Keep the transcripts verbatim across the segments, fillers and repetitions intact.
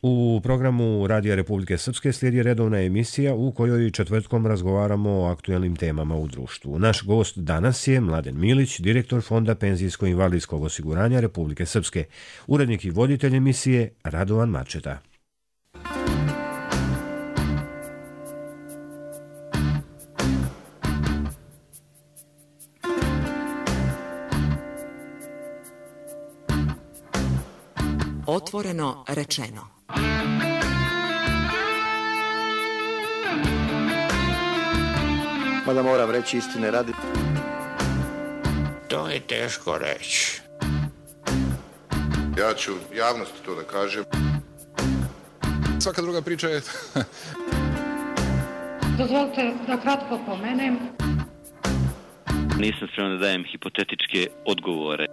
U programu Radija Republike Srpske slijedi redovna emisija u kojoj četvrtkom razgovaramo o aktuelnim temama u društvu. Naš gost danas je Mladen Milić, direktor Fonda penzijsko-invalidskog osiguranja Republike Srpske, urednik i voditelj emisije Radovan Marčeta. Otvoreno rečeno. Mada moram reći istine radi. To je teško reći. Ja ću javnosti to da kažem. Svaka druga priča je... Dozvolite da kratko pomenem. Nisam spreman da dajem hipotetičke odgovore.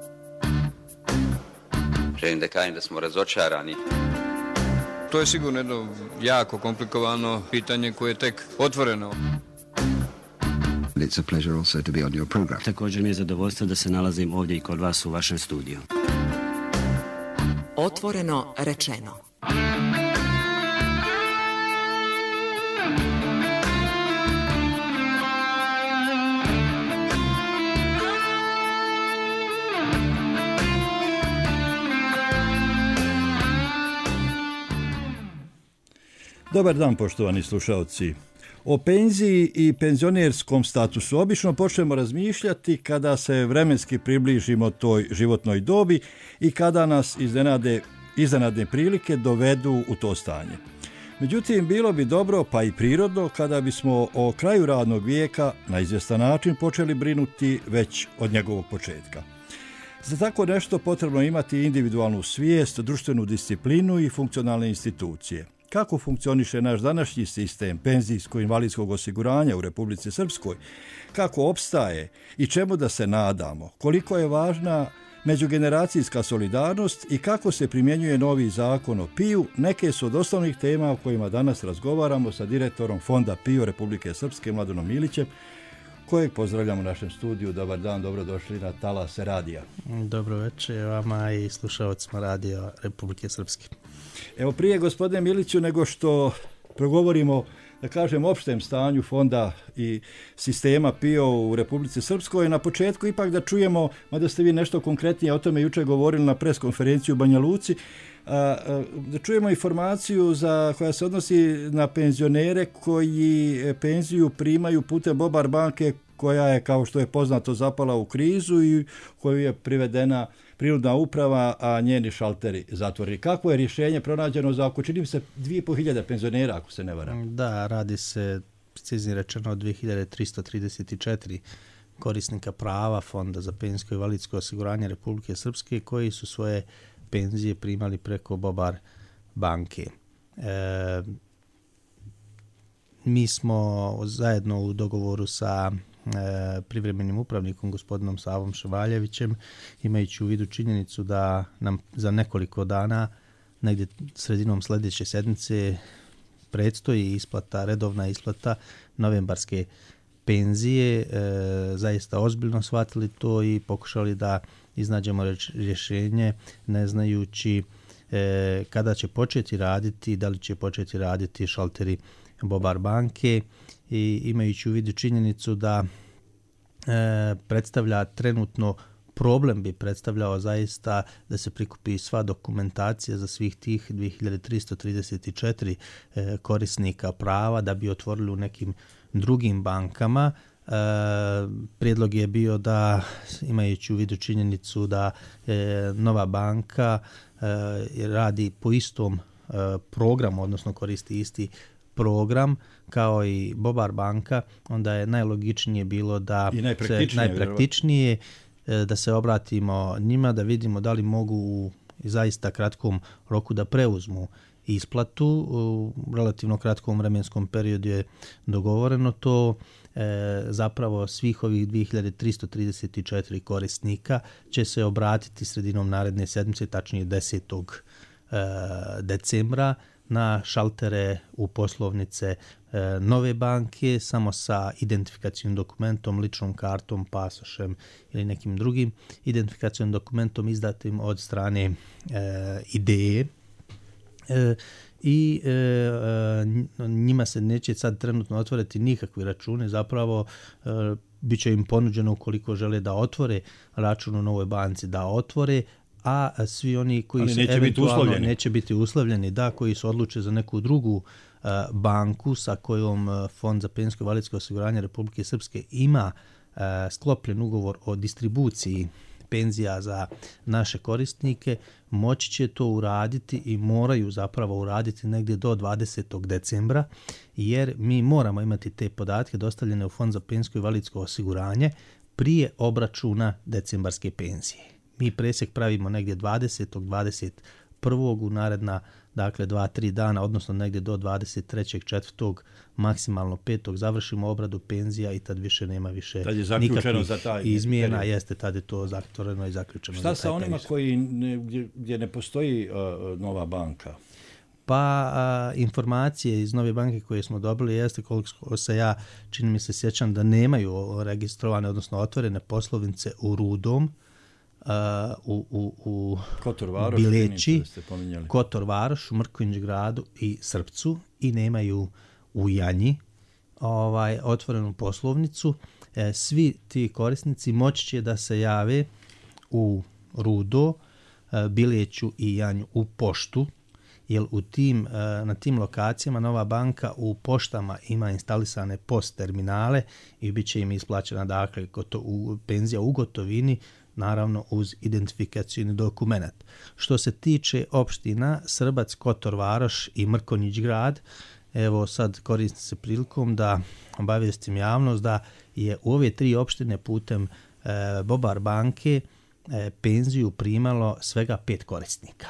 Želim da kažem da smo razočarani. To je sigurno jedno jako komplikovano pitanje koje je tek otvoreno. It's a pleasure also to be on your program. Također mi je zadovoljstvo da se nalazim ovdje i kod vas u vašem studiju. Otvoreno rečeno. Dobar dan, poštovani slušalci. O penziji i penzionerskom statusu obično počnemo razmišljati kada se vremenski približimo toj životnoj dobi i kada nas iznenade, iznenadne prilike dovedu u to stanje. Međutim, bilo bi dobro, pa i prirodno, kada bismo o kraju radnog vijeka na izvjestan način počeli brinuti već od njegovog početka. Za tako nešto potrebno imati individualnu svijest, društvenu disciplinu i funkcionalne institucije. Kako funkcioniše naš današnji sistem penzijsko-invalidskog osiguranja u Republici Srpskoj, kako opstaje i čemu da se nadamo, koliko je važna međugeneracijska solidarnost i kako se primjenjuje novi zakon o P I U, neke su od osnovnih tema o kojima danas razgovaramo sa direktorom Fonda P I U Republike Srpske, Mladenom Milićem, kojeg pozdravljamo u našem studiju. Dobar dan, dobrodošli na Talas Radija. Dobro večer vama i slušalcima Radija Republike Srpske. Evo, prije, gospodine Miliću, nego što progovorimo, da kažem, opštem stanju fonda i sistema P I O u Republici Srpskoj, na početku ipak da čujemo, mada ste vi nešto konkretnije o tome jučer govorili na preskonferenciju u Banja Luci, da čujemo informaciju za, koja se odnosi na penzionere koji penziju primaju putem Bobar banke, koja je, kao što je poznato, zapala u krizu i koju je privedena prinudna uprava, a njeni šalteri zatvorili. Kako je rješenje pronađeno za oko, čini mi se, dvije i pol hiljade penzionera, ako se ne varam? Da, radi se, preciznije rečeno, o dvije hiljade tristo trideset četiri korisnika prava Fonda za penzijsko i invalidsko osiguranje Republike Srpske koji su svoje penzije primali preko Bobar banke. E, mi smo zajedno u dogovoru sa e, privremenim upravnikom gospodinom Savom Ševaljevićem, imajući u vidu činjenicu da nam za nekoliko dana, negdje sredinom sljedeće sedmice, predstoji isplata, redovna isplata novembarske penzije, e, zaista ozbiljno shvatili to i pokušali da iznađemo rješenje, ne znajući e, kada će početi raditi, da li će početi raditi šalteri Bobar banke, i imajući u vidu činjenicu da e, predstavlja trenutno problem, bi predstavljao zaista da se prikupi sva dokumentacija za svih tih dvije hiljade tristo trideset četiri e, korisnika prava da bi otvorili u nekim drugim bankama. E, prijedlog je bio da, imajući u vidu činjenicu da e, nova banka e, radi po istom e, programu, odnosno koristi isti program kao i Bobar banka, onda je najlogičnije bilo da I najpraktičnije, se najpraktičnije e, da se obratimo njima, da vidimo da li mogu u zaista kratkom roku da preuzmu isplatu. U relativno kratkom vremenskom periodu je dogovoreno to. E, zapravo svih ovih dvije hiljade tristo trideset četiri korisnika će se obratiti sredinom naredne sedmice, tačnije desetog decembra, na šaltere u poslovnice e, nove banke, samo sa identifikacijnim dokumentom, ličnom kartom, pasošem ili nekim drugim identifikacijnim dokumentom izdatim od strane e, ideje. E, i e, njima se neće sad trenutno otvoriti nikakvi računi, zapravo e, bit će im ponuđeno ukoliko žele da otvore račun u novoj banci, da otvore, a svi oni koji Ali se neće eventualno biti neće biti uslovljeni, da, koji se odluče za neku drugu uh, banku sa kojom uh, Fond za penzijsko i invalidsko osiguranje Republike Srpske ima uh, sklopljen ugovor o distribuciji penzija za naše korisnike, moći će to uraditi i moraju zapravo uraditi negdje do dvadesetog decembra, jer mi moramo imati te podatke dostavljene u Fond za penzijsko i invalidsko osiguranje prije obračuna decembarske penzije. Mi presjek pravimo negdje dvadesetog dvadeset prvog u naredna, dakle dva tri dana, odnosno negdje do dvadeset trećeg četvrtog maksimalno petog završimo obradu penzija i tad više nema više nikakvih za taj izmjena, period. Jeste, tad je to zatvoreno i zaključeno. Šta za sa taj onima period. koji ne, gdje, gdje ne postoji uh, nova banka? Pa a, informacije iz nove banke koje smo dobili jeste, koliko se ja čini mi se sjećam, da nemaju registrovane, odnosno otvorene poslovnice u Rudom, Uh, u, u, u Kotor Varoš, Bileći, ste Kotor Varoš, u Mrkonjić gradu i Srpcu, i nemaju u Janji ovaj, otvorenu poslovnicu. E, svi ti korisnici moći će da se jave u Rudo, e, Bileću i Janju u poštu, jer u tim, e, na tim lokacijama Nova banka u poštama ima instalisane post terminale i bit će im isplaćena, dakle, goto, u, penzija u gotovini, naravno uz identifikacijni dokument. Što se tiče opština Srbac, Kotor Varoš i Mrkonjić grad, evo sad koristim se prilikom da obavijestim javnost da je u ove tri opštine putem e, Bobar banke e, penziju primalo svega pet korisnika.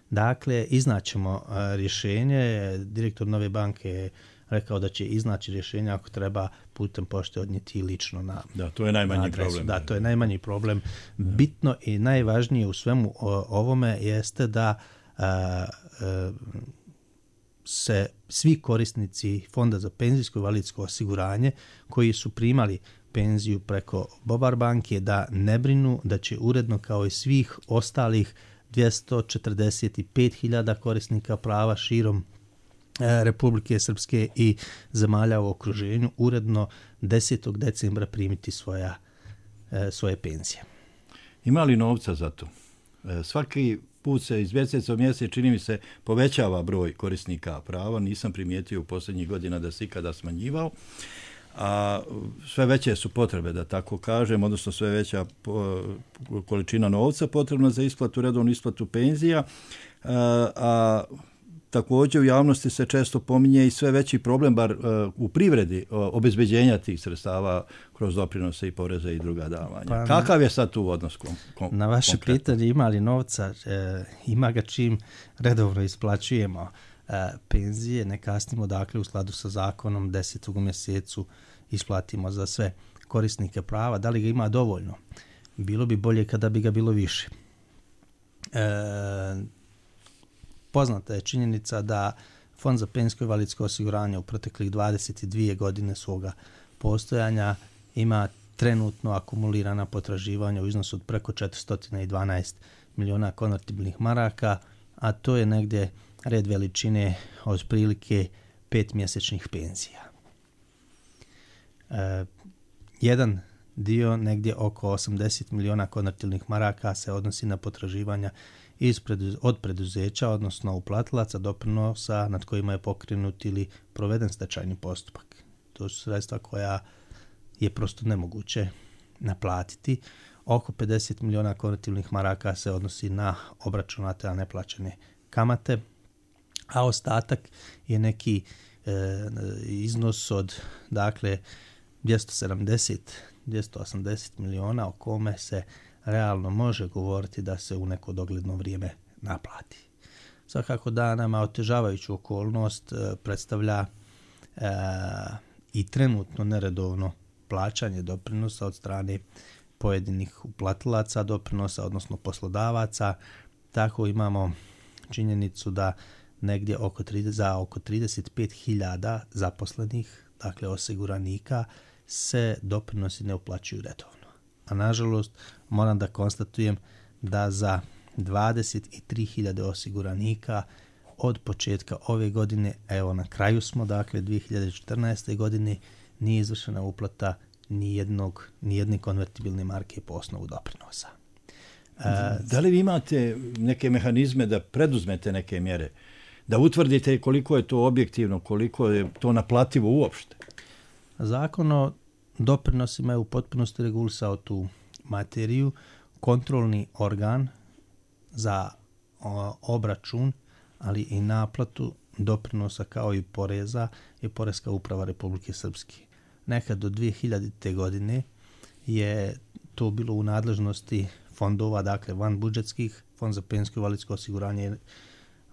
Dakle, iznaćemo e, rješenje. Direktor Nove banke je rekao da će iznaći rješenje ako treba putem pošte odnijeti lično na Da, to je najmanji adresu. problem. Da, to je najmanji problem. Bitno i najvažnije u svemu ovome jeste da a, a, se svi korisnici Fonda za penzijsko i invalidsko osiguranje koji su primali penziju preko Bobar banke da ne brinu, da će uredno kao i svih ostalih dvjesto četrdeset pet hiljada korisnika prava širom Republike Srpske i zemalja u okruženju uredno desetog decembra primiti svoja, svoje penzije. Ima li novca za to? Svaki put se iz mjeseca u mjesec, čini mi se, povećava broj korisnika prava. Nisam primijetio u posljednjih godina da se ikada smanjivao. A sve veće su potrebe, da tako kažem, odnosno sve veća količina novca potrebna za isplatu, redovnu isplatu penzija. A, a također u javnosti se često pominje i sve veći problem, bar uh, u privredi, uh, obezbeđenja tih sredstava kroz doprinose i poreze i druga davanja. Pa, kakav je sad tu odnos? Kom, kom, na vaše konkretno? pitanje ima li novca, e, ima ga čim redovno isplaćujemo e, penzije, ne kasnimo, dakle u skladu sa zakonom desetog mjesecu isplatimo za sve korisnike prava. Da li ga ima dovoljno? Bilo bi bolje kada bi ga bilo više. E, Poznata je činjenica da Fond za penzijsko i invalidsko osiguranje u proteklih dvadeset dvije godine svoga postojanja ima trenutno akumulirana potraživanja u iznosu od preko četiristo dvanaest miliona konvertibilnih maraka, a to je negdje red veličine od prilike pet mjesečnih penzija. E, jedan dio, negdje oko osamdeset miliona konvertibilnih maraka, se odnosi na potraživanja iz preduz, od preduzeća, odnosno uplatilaca doprinosa nad kojima je pokrenut ili proveden stečajni postupak. To su sredstva koja je prosto nemoguće naplatiti. Oko pedeset miliona konvertibilnih maraka se odnosi na obračunate, a neplaćene kamate, a ostatak je neki e, iznos od, dakle, dvjesto sedamdeset do dvjesto osamdeset miliona o kome se realno može govoriti da se u neko dogledno vrijeme naplati. Svakako da nama otežavajuću okolnost e, predstavlja e, i trenutno neredovno plaćanje doprinosa od strane pojedinih uplatilaca doprinosa, odnosno poslodavaca. Tako imamo činjenicu da negdje oko trideset, za oko trideset pet hiljada zaposlenih, dakle osiguranika, se doprinosi ne uplaćuju redovno. A nažalost moram da konstatujem da za dvadeset tri hiljade osiguranika od početka ove godine, evo na kraju smo, dakle dvije hiljade četrnaeste. godine, nije izvršena uplata ni jednog, ni jedne konvertibilne marke po osnovu doprinosa. Da li vi imate neke mehanizme da preduzmete neke mjere, da utvrdite koliko je to objektivno, koliko je to naplativo uopšte? Zakon o doprinosima je u potpunosti regulisao tu materiju. Kontrolni organ za o, obračun, ali i naplatu doprinosa kao i poreza je Poreska uprava Republike Srpske. Nekad do dvije hiljadite. godine je to bilo u nadležnosti fondova, dakle van budžetskih. Fond za penzijsko i invalidsko osiguranje je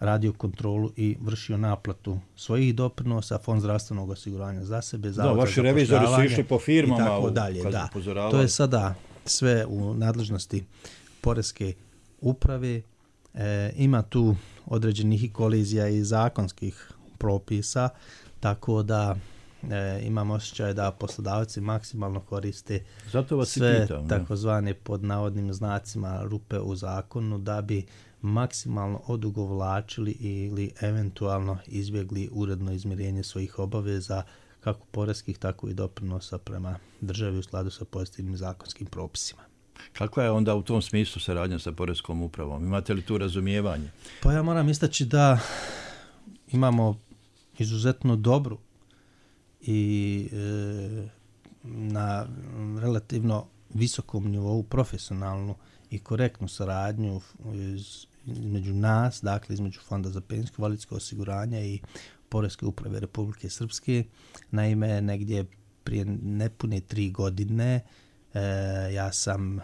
radio kontrolu i vršio naplatu svojih doprinosa, Fond zdravstvenog osiguranja za sebe, da, vaši revizori su išli po firmama i tako dalje. Da. To je sada sve u nadležnosti Poreske uprave. E, ima tu određenih kolizija i zakonskih propisa, tako da e, imam osjećaj da poslodavci maksimalno koriste sve pitam, takozvane pod navodnim znacima rupe u zakonu da bi maksimalno odugovlačili ili eventualno izbjegli uredno izmirenje svojih obaveza kako poreskih, tako i doprinosa prema državi u skladu sa pozitivnim zakonskim propisima. Kakva je onda u tom smislu saradnja sa Poreskom upravom? Imate li tu razumijevanje? Pa ja moram istaći da imamo izuzetno dobru i e, na relativno visokom nivou profesionalnu i korektnu saradnju iz, između nas, dakle između Fonda za penzijsko i invalidsko osiguranje i Poreske uprave Republike Srpske. Naime, negdje prije nepune tri godine e, ja sam,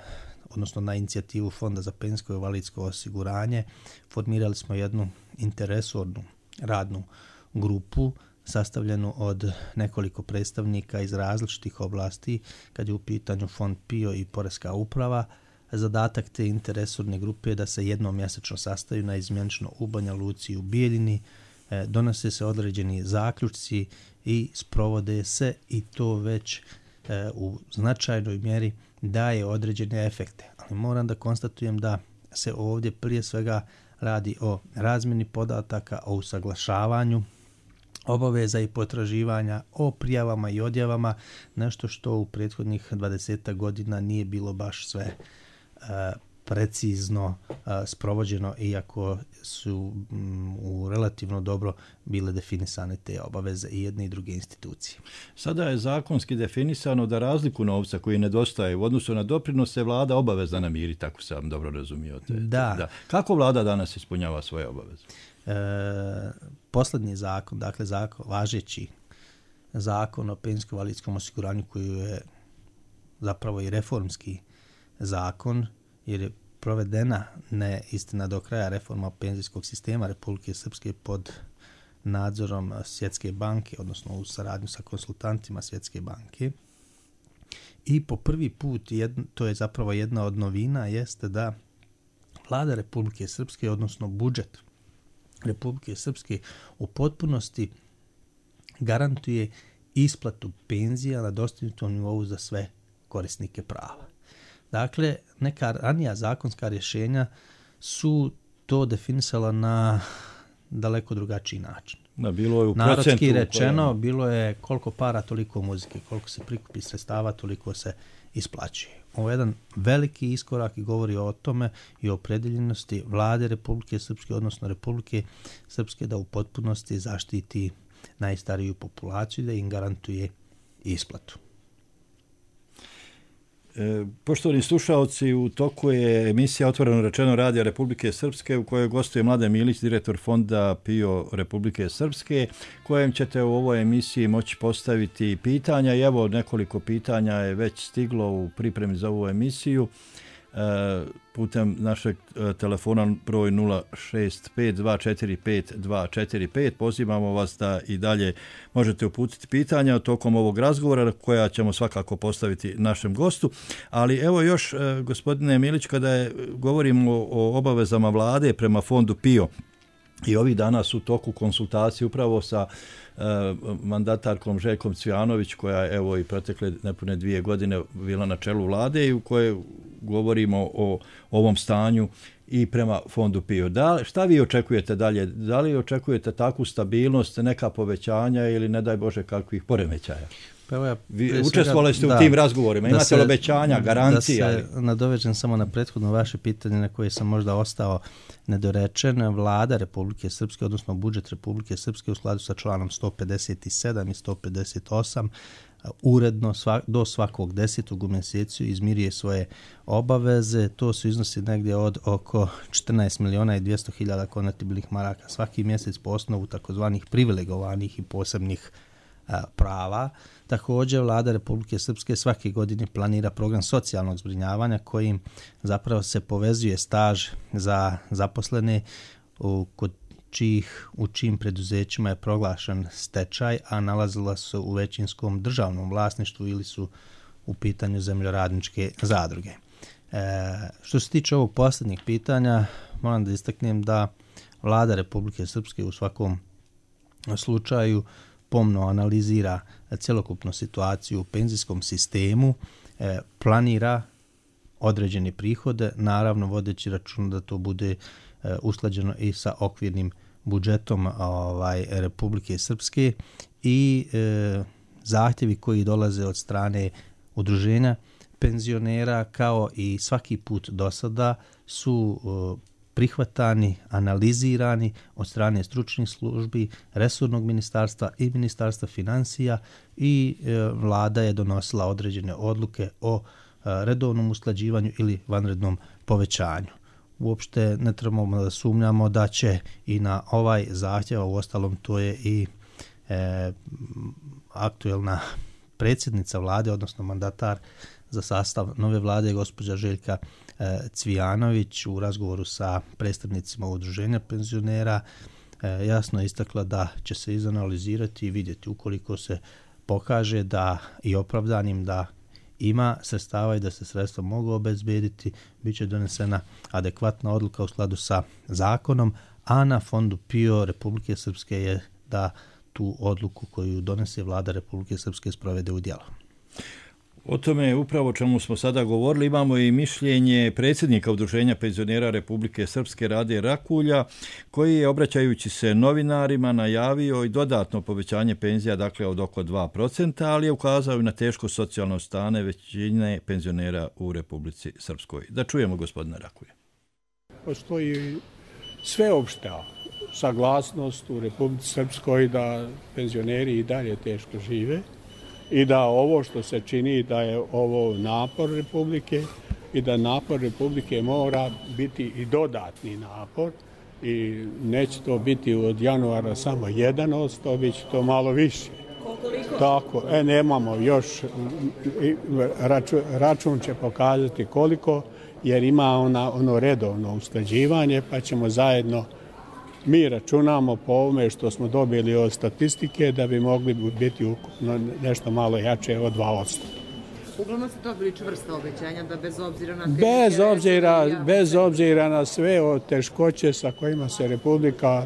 odnosno na inicijativu Fonda za penzijsko i invalidsko osiguranje, formirali smo jednu interresornu radnu grupu sastavljenu od nekoliko predstavnika iz različitih oblasti, kad je u pitanju Fond P I O i Poreska uprava. Zadatak te interresorne grupe je da se jednom mjesečno sastaju na izmjenično u Banja Luci i u Bijeljini, e, donose se određeni zaključci i sprovode se, i to već e, u značajnoj mjeri daje određene efekte. Ali moram da konstatujem da se ovdje prije svega radi o razmjeni podataka, o usaglašavanju obaveza i potraživanja, o prijavama i odjavama, nešto što u prethodnih dvadesetak godina nije bilo baš sve uh, precizno uh, sprovođeno, iako su um, u relativno dobro bile definisane te obaveze i jedne i druge institucije. Sada je zakonski definisano da razliku novca koji nedostaje u odnosu na doprinose vlada obavezna namiriti, tako sam dobro razumio. Te, da. da. Kako vlada danas ispunjava svoje obaveze? E, posljednji zakon, dakle zakon, važeći zakon o penzijsko-invalidskom osiguranju, koji je zapravo i reformski zakon, jer je provedena ne istina do kraja reforma penzijskog sistema Republike Srpske pod nadzorom Svjetske banke, odnosno u saradnju sa konsultantima Svjetske banke. I po prvi put, jedno, to je zapravo jedna od novina, jeste da vlada Republike Srpske, odnosno budžet Republike Srpske, u potpunosti garantuje isplatu penzija na dostignutom nivou za sve korisnike prava. Dakle, neka ranija zakonska rješenja su to definisala na daleko drugačiji način. Da, bilo je u Narodski rečeno, koja... bilo je koliko para, toliko muzike, koliko se prikupi sredstava, toliko se isplaćuje. Ovo je jedan veliki iskorak i govori o tome i o opredeljenosti vlade Republike Srpske, odnosno Republike Srpske, da u potpunosti zaštiti najstariju populaciju i da im garantuje isplatu. E, poštovani slušaoci, u toku je emisija Otvoreno rečeno Radija Republike Srpske, u kojoj gostuje Mladen Milić, direktor Fonda P I O Republike Srpske, kojem ćete u ovoj emisiji moći postaviti pitanja. I evo, nekoliko pitanja je već stiglo u pripremi za ovu emisiju. E, putem našeg telefona broj nula šest pet dva četiri pet dva četiri pet. Pozivamo vas da i dalje možete uputiti pitanja tokom ovog razgovora, koja ćemo svakako postaviti našem gostu. Ali evo još, gospodine Milić, kada je, govorimo o obavezama vlade prema Fondu P I O, i ovih dana su u toku konsultacije upravo sa uh, mandatarkom Željkom Cvijanović, koja je evo i protekle nepune dvije godine bila na čelu vlade i u kojoj govorimo o ovom stanju i prema fondu PIO. Da, šta vi očekujete dalje? Da li očekujete takvu stabilnost, neka povećanja ili ne daj Bože kakvih poremećaja? Pa evo ja, vi učestvovali ste da, u tim razgovorima, imate se, li obećanja, garancija? Da se nadovežem samo na prethodno vaše pitanje na koje sam možda ostao nedorečen. Vlada Republike Srpske, odnosno budžet Republike Srpske u skladu sa članom sto pedeset sedam i sto pedeset osam uredno svak, do svakog desetog u mjesecu izmiruje svoje obaveze. To su iznosi negdje od oko četrnaest miliona i dvjesto hiljada konvertibilnih maraka svaki mjesec po osnovu takozvanih privilegovanih i posebnih a, prava. Također, Vlada Republike Srpske svake godine planira program socijalnog zbrinjavanja kojim zapravo se povezuje staž za zaposlene u, kod čijih, u čijim preduzećima je proglašen stečaj, a nalazila su u većinskom državnom vlasništvu ili su u pitanju zemljoradničke zadruge. E, što se tiče ovog posljednjeg pitanja, moram da istaknem da Vlada Republike Srpske u svakom slučaju pomno analizira cjelokupnu situaciju u penzijskom sistemu, e, planira određene prihode, naravno vodeći račun da to bude e, usklađeno i sa okvirnim budžetom ovaj, Republike Srpske i e, zahtjevi koji dolaze od strane udruženja penzionera kao i svaki put do sada su e, prihvatani, analizirani od strane stručnih službi, resornog ministarstva i ministarstva financija i e, vlada je donosila određene odluke o e, redovnom usklađivanju ili vanrednom povećanju. Uopšte ne trebamo da sumnjamo da će i na ovaj zahtjev, u ostalom to je i e, aktuelna predsjednica vlade, odnosno mandatar za sastav nove vlade, gospođa Željka e, Cvijanović u razgovoru sa predstavnicima udruženja penzionera e, jasno istakla da će se izanalizirati i vidjeti ukoliko se pokaže da i opravdanim da ima sredstava i da se sredstva mogu obezbediti, bit će donesena adekvatna odluka u skladu sa zakonom, a na fondu PIO Republike Srpske je da tu odluku koju donese vlada Republike Srpske sprovede u djelo. O tome upravo čemu smo sada govorili imamo i mišljenje predsjednika Udruženja penzionera Republike Srpske Rade Rakulja, koji je obraćajući se novinarima najavio i dodatno povećanje penzija, dakle od oko dva procenta, ali je ukazao i na teško socijalno stanje većine penzionera u Republici Srpskoj. Da čujemo gospodina Rakulja. Postoji sveopšta saglasnost u Republici Srpskoj da penzioneri i dalje teško žive i da ovo što se čini da je ovo napor Republike i da napor Republike mora biti i dodatni napor i neće to biti od januara samo jedan odsto, bit će to malo više. Koliko? Tako, e, nemamo još, račun, račun će pokazati koliko, jer ima ona, ono redovno usklađivanje, pa ćemo zajedno, mi računamo po ovome što smo dobili od statistike da bi mogli biti ukupno nešto malo jače od dva odsto. Uglavnom ste dobili čvrsta obećanja da bez obzira na te bez obzira, bez obzira na sve o teškoće sa kojima se Republika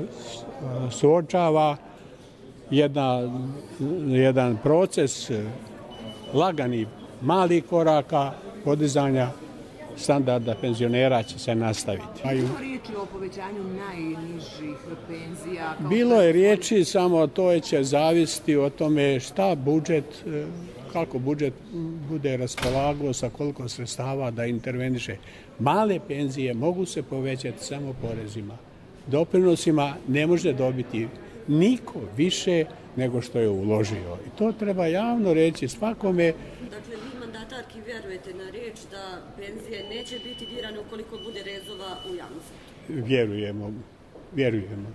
suočava, jedna, jedan proces lagani malih koraka podizanja standarda penzionera će se nastaviti. Bilo riječi o povećanju najnižih penzija? Bilo je riječi, samo to će zavisiti o tome šta budžet, kako budžet bude raspolagao sa koliko sredstava da interveniše. Male penzije mogu se povećati samo porezima. Doprinosima ne može dobiti niko više nego što je uložio. I to treba javno reći svakome. Dakle, vi mandatarki vjerujete na riječ da penzije neće biti dirane ukoliko bude rezova u javnom sektoru? Vjerujemo, vjerujemo.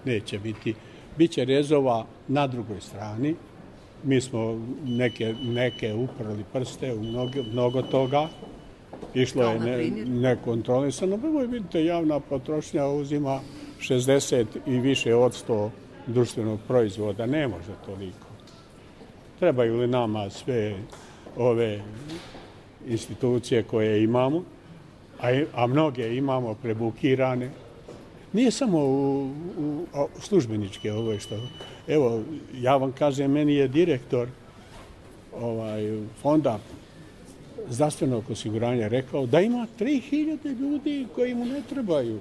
Neće biti. Biće rezova na drugoj strani. Mi smo neke, neke uprali prste u mnogo, mnogo toga. Išlo je ne, nekontrolisano. Prvo, vidite, javna potrošnja uzima šezdeset i više od sto društvenog proizvoda. Ne može toliko. Trebaju li nama sve ove institucije koje imamo, a, a mnoge imamo prebukirane. Nije samo u, u, u službeničke ovo što... Evo, ja vam kažem, meni je direktor ovaj, fonda zdravstvenog osiguranja rekao da ima tri hiljade ljudi koji mu ne trebaju,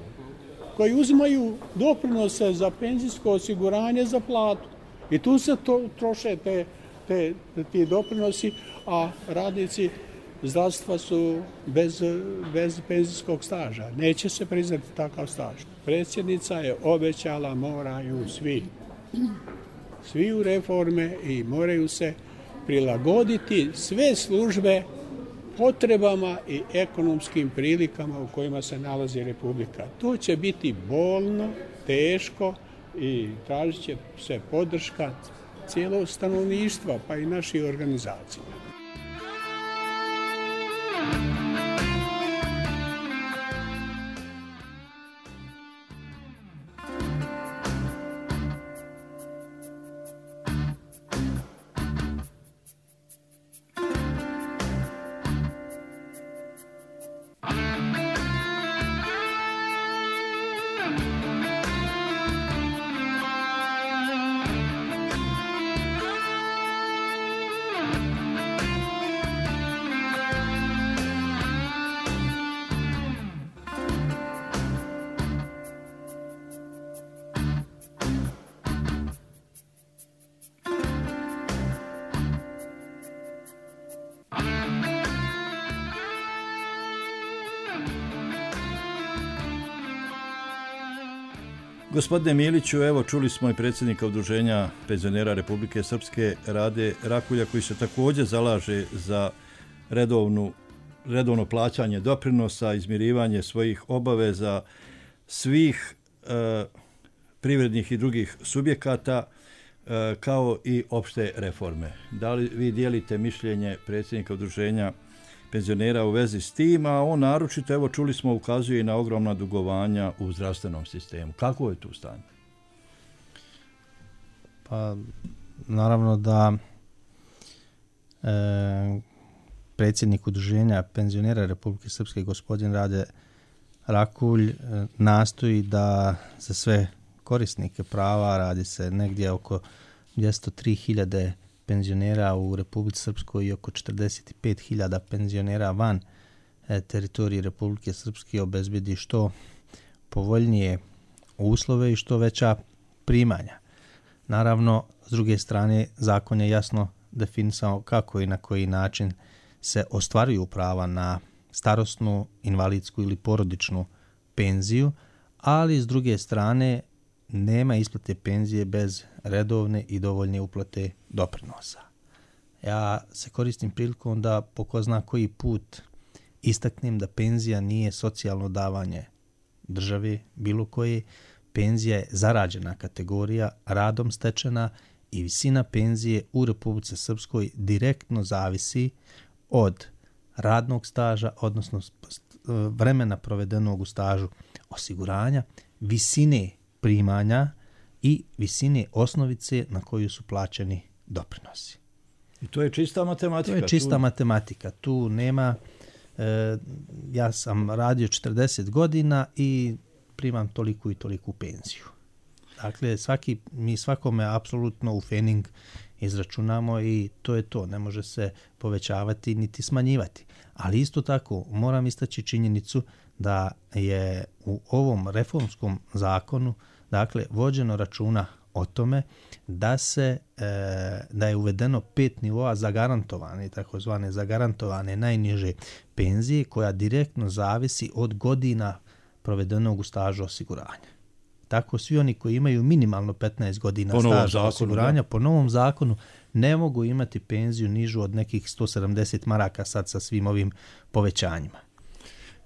koji uzimaju doprinose za penzijsko osiguranje za platu. I tu se to, troše te, te, ti doprinosi, a radnici zdravstva su bez, bez penzijskog staža. Neće se priznati takav staž. Predsjednica je obećala, moraju svi. Svi u reforme i moraju se prilagoditi sve službe potrebama i ekonomskim prilikama u kojima se nalazi Republika. To će biti bolno, teško i tražit će se podrška cijelog stanovništva, pa i naših organizacija. Gospodine Miliću, evo čuli smo i predsjednika Udruženja penzionera Republike Srpske Rade Rakulja, koji se također zalaže za redovnu, redovno plaćanje doprinosa, izmirivanje svojih obaveza svih e, privrednih i drugih subjekata, e, kao i opšte reforme. Da li vi dijelite mišljenje predsjednika Udruženja penzionera u vezi s tim, a on naročito, evo čuli smo, ukazuje i na ogromna dugovanja u zdravstvenom sistemu. Kako je tu stanje? Pa, naravno da e, predsjednik Udruženja penzionera Republike Srpske, gospodin Rade Rakulj, e, nastoji da za sve korisnike prava, radi se negdje oko dvjesto tri hiljade penzionera u Republici Srpskoj i oko četrdeset pet hiljada penzionera van e, teritorije Republike Srpske, obezbedi što povoljnije uslove i što veća primanja. Naravno, s druge strane, zakon je jasno definisao kako i na koji način se ostvaruju prava na starosnu, invalidsku ili porodičnu penziju, ali s druge strane nema isplate penzije bez redovne i dovoljne uplate doprinosa. Ja se koristim prilikom da po ko zna koji put istaknem da penzija nije socijalno davanje države bilo koje. Penzija je zarađena kategorija, radom stečena, i visina penzije u Republici Srpskoj direktno zavisi od radnog staža, odnosno vremena provedenog u stažu osiguranja, visine primanja i visine osnovice na koju su plaćeni doprinosi. I to je čista matematika. To je čista tu... matematika. Tu nema... E, ja sam radio četrdeset godina i primam toliku i toliku penziju. Dakle, svaki, mi svakome apsolutno u fening izračunamo i to je to. Ne može se povećavati niti smanjivati. Ali isto tako moram istaći činjenicu da je u ovom reformskom zakonu, dakle, vođeno računa o tome da se e, da je uvedeno pet nivoa zagarantovane, takozvane zagarantovane najniže penzije, koja direktno zavisi od godina provedenog u stažu osiguranja. Tako svi oni koji imaju minimalno petnaest godina staža zakonu, osiguranja, da. Po novom zakonu ne mogu imati penziju nižu od nekih sto sedamdeset maraka sad sa svim ovim povećanjima.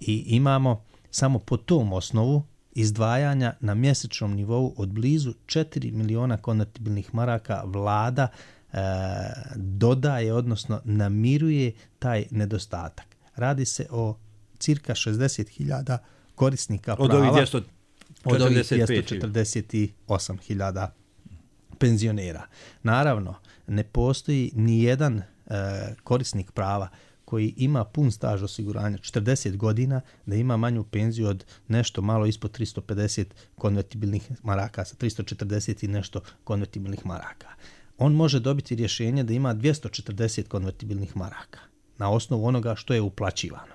I imamo samo po tom osnovu izdvajanja na mjesečnom nivou od blizu četiri miliona konvertibilnih maraka vlada e, dodaje, odnosno namiruje taj nedostatak. Radi se o cirka šezdeset hiljada korisnika prava. Od ovih dvjesto Od ovih dvjesto četrdeset osam hiljada penzionera. Naravno, ne postoji ni jedan e, korisnik prava koji ima pun staž osiguranja četrdeset godina da ima manju penziju od nešto malo ispod tristo pedeset konvertibilnih maraka, sa tristo četrdeset i nešto konvertibilnih maraka. On može dobiti rješenje da ima dvjesto četrdeset konvertibilnih maraka. na osnovu onoga što je uplaćivano.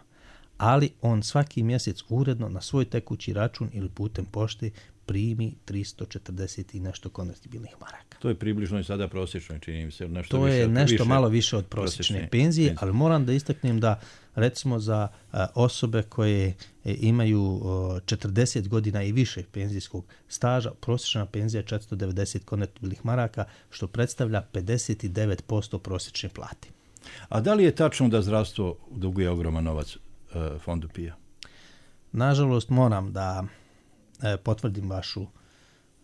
Ali on svaki mjesec uredno na svoj tekući račun ili putem pošte primi tristo četrdeset i nešto konvertibilnih maraka. To je približno i sada prosječno, čini mi se. Nešto to više, je nešto više malo više od prosječne penzije, penzije, ali moram da istaknem da recimo za a, osobe koje e, imaju o, četrdeset godina i više penzijskog staža, prosječna penzija je četiristo devedeset konvertibilnih maraka, što predstavlja pedeset devet posto prosječne plate. A da li je tačno da zdravstvo duguje ogroman novac e, fondu P I A? Nažalost, moram da e, potvrdim vašu,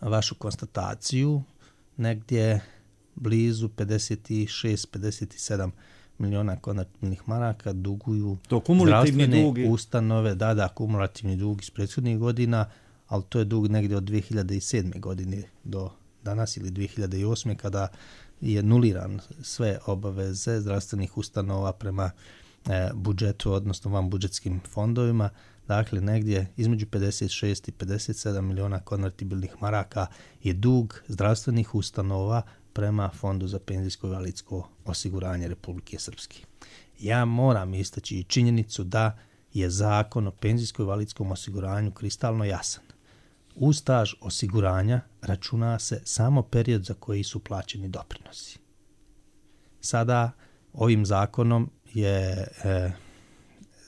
vašu konstataciju. Negdje blizu pedeset šest pedeset sedam miliona konvertibilnih maraka duguju zdravstvene dugi. ustanove, da, da, kumulativni dug iz prethodnih godina, ali to je dug negdje od dvije hiljade sedme. godine do danas ili dvije hiljade osme. kada je nuliran sve obaveze zdravstvenih ustanova prema e, budžetu, odnosno van budžetskim fondovima. Dakle, negdje između pedeset šest i pedeset sedam miliona konvertibilnih maraka je dug zdravstvenih ustanova prema Fondu za penzijsko i invalidsko osiguranje Republike Srpske. Ja moram istaći i činjenicu da je zakon o penzijsko i invalidskom osiguranju kristalno jasan. U staž osiguranja računa se samo period za koji su plaćeni doprinosi. Sada ovim zakonom je e,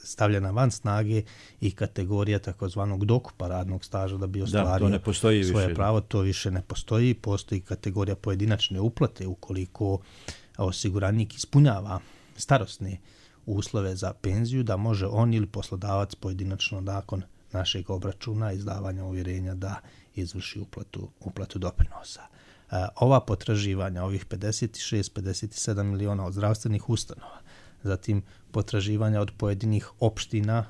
stavljena van snage i kategorija takozvanog dokupa radnog staža da bi ostvario da, to svoje više. pravo. To više ne postoji. Postoji kategorija pojedinačne uplate ukoliko osiguranik ispunjava starosne uslove za penziju, da može on ili poslodavac pojedinačno nakon našeg obračuna izdavanja uvjerenja da izvrši uplatu, uplatu doprinosa. E, ova potraživanja, ovih pedeset šest pedeset sedam miliona od zdravstvenih ustanova, zatim potraživanja od pojedinih opština,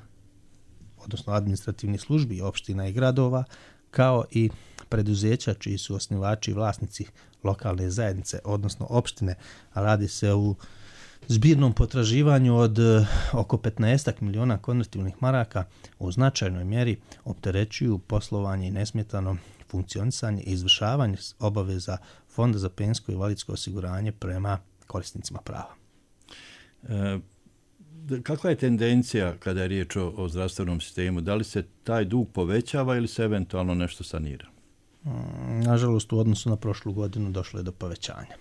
odnosno administrativnih službi opština i gradova, kao i preduzeća čiji su osnivači i vlasnici lokalne zajednice, odnosno opštine, a radi se u zbirnom potraživanju od uh, oko petnaest miliona konvertibilnih maraka, u značajnoj mjeri opterećuju poslovanje i nesmetano funkcionisanje i izvršavanje obaveza Fonda za penzijsko i invalidsko osiguranje prema korisnicima prava. E, kakva je tendencija kada je riječ o, o zdravstvenom sistemu? Da li se taj dug povećava ili se eventualno nešto sanira? Mm, nažalost, u odnosu na prošlu godinu došlo je do povećanja.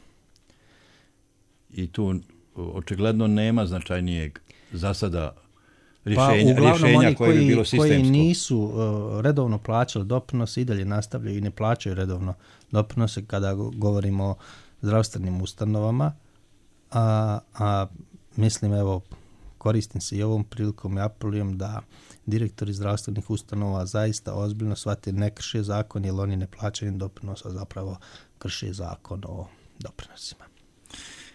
I tu očigledno nema značajnijeg za sada rješenja, pa, rješenja koje bi bilo sistemsko. Koji nisu uh, redovno plaćali doprinose i dalje nastavljaju i ne plaćaju redovno doprinose kada govorimo o zdravstvenim ustanovama, a, a mislim, evo, koristim se i ovom prilikom i apelujem da direktori zdravstvenih ustanova zaista ozbiljno shvate, ne krše zakon, jer oni ne plaćaju doprinosa, zapravo krše zakon o doprinosima.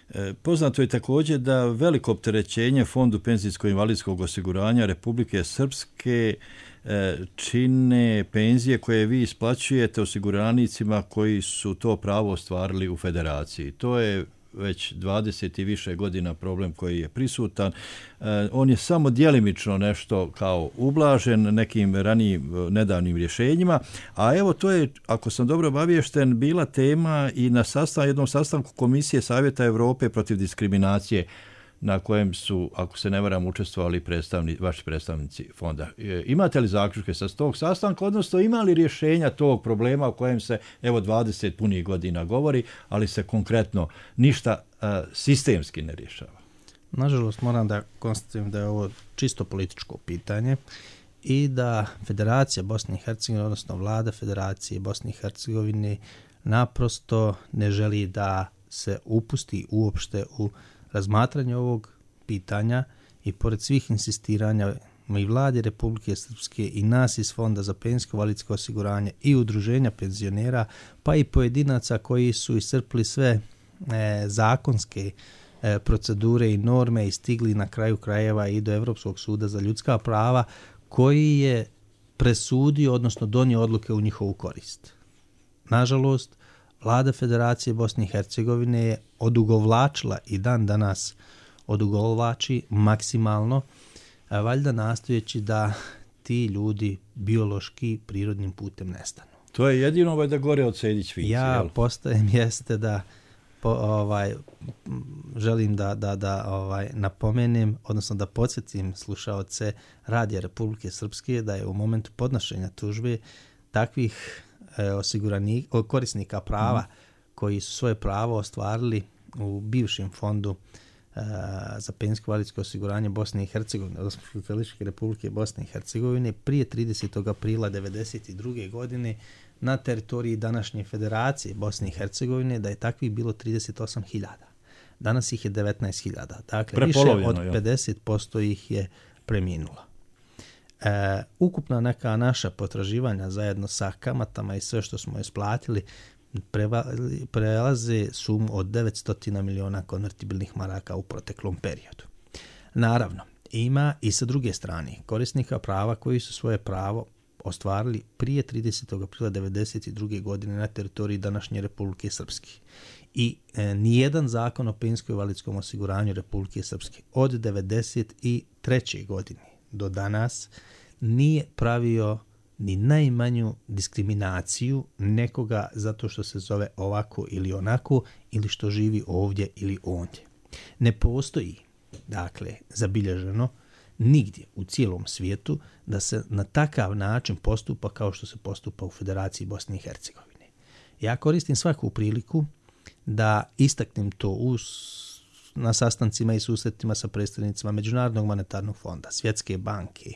E, poznato je također da veliko opterećenje Fondu penzijsko-invalidskog osiguranja Republike Srpske e, čine penzije koje vi isplaćujete osiguranicima koji su to pravo ostvarili u federaciji. To je već dvadeset i više godina problem koji je prisutan. E, on je samo djelimično nešto kao ublažen nekim ranijim nedavnim rješenjima, a evo to je, ako sam dobro obaviješten, bila tema i na sastav, jednom sastanku Komisije Savjeta Europe protiv diskriminacije, na kojem su, ako se ne varam, učestvovali predstavni, vaši predstavnici fonda. E, imate li zaključke sa tog sastanka, odnosno ima li rješenja tog problema o kojem se evo dvadeset punih godina govori, ali se konkretno ništa a, sistemski ne rješava? Nažalost, moram da konstatujem da je ovo čisto političko pitanje i da Federacija Bosne i Hercegovine, odnosno vlada Federacije Bosne i Hercegovine, naprosto ne želi da se upusti uopšte u razmatranje ovog pitanja i pored svih insistiranja i vlade Republike Srpske i nas iz Fonda za penzijsko invalidsko osiguranje i udruženja penzionera, pa i pojedinaca koji su iscrpli sve e, zakonske e, procedure i norme i stigli na kraju krajeva i do Evropskog suda za ljudska prava, koji je presudio, odnosno donio odluke u njihovu korist. Nažalost, vlada Federacije Bosne i Hercegovine je odugovlačila i dan danas odugovlači maksimalno, a valjda nastojeći da ti ljudi biološki prirodnim putem nestanu. To je jedino ovaj da gore od Sejdić Vinci. Ja jel? postajem jeste da po, ovaj, želim da, da, da ovaj, napomenem, odnosno da podsjetim slušaoce Radija Republike Srpske da je u momentu podnošenja tužbe takvih e, osiguranika, korisnika prava mm. koji su svoje pravo ostvarili u bivšem fondu e, za penzijsko invalidsko osiguranje Bosne i Hercegovine, odnosno Socijalističke Republike Bosne i Hercegovine, prije tridesetog aprila devedeset druge godine na teritoriji današnje Federacije Bosne i Hercegovine, da je takvih bilo trideset osam hiljada. Danas ih je devetnaest hiljada. Dakle, više od pedeset posto ih je preminulo. E, ukupna neka naša potraživanja zajedno sa kamatama i sve što smo isplatili preva, prelaze sumu od devetsto miliona konvertibilnih maraka u proteklom periodu. Naravno, ima i sa druge strane korisnika prava koji su svoje pravo ostvarili prije tridesetog aprila devedeset druge godine na teritoriji današnje Republike Srpske. I e, nijedan zakon o penzijskom invalidskom osiguranju Republike Srpske od devedeset treće godine do danas nije pravio ni najmanju diskriminaciju nekoga zato što se zove ovako ili onako ili što živi ovdje ili ondje. Ne postoji, dakle, zabilježeno nigdje u cijelom svijetu da se na takav način postupa kao što se postupa u Federaciji Bosne i Hercegovine. Ja koristim svaku priliku da istaknem to uz, na sastancima i susretima sa predstavnicima Međunarodnog monetarnog fonda, Svjetske banke,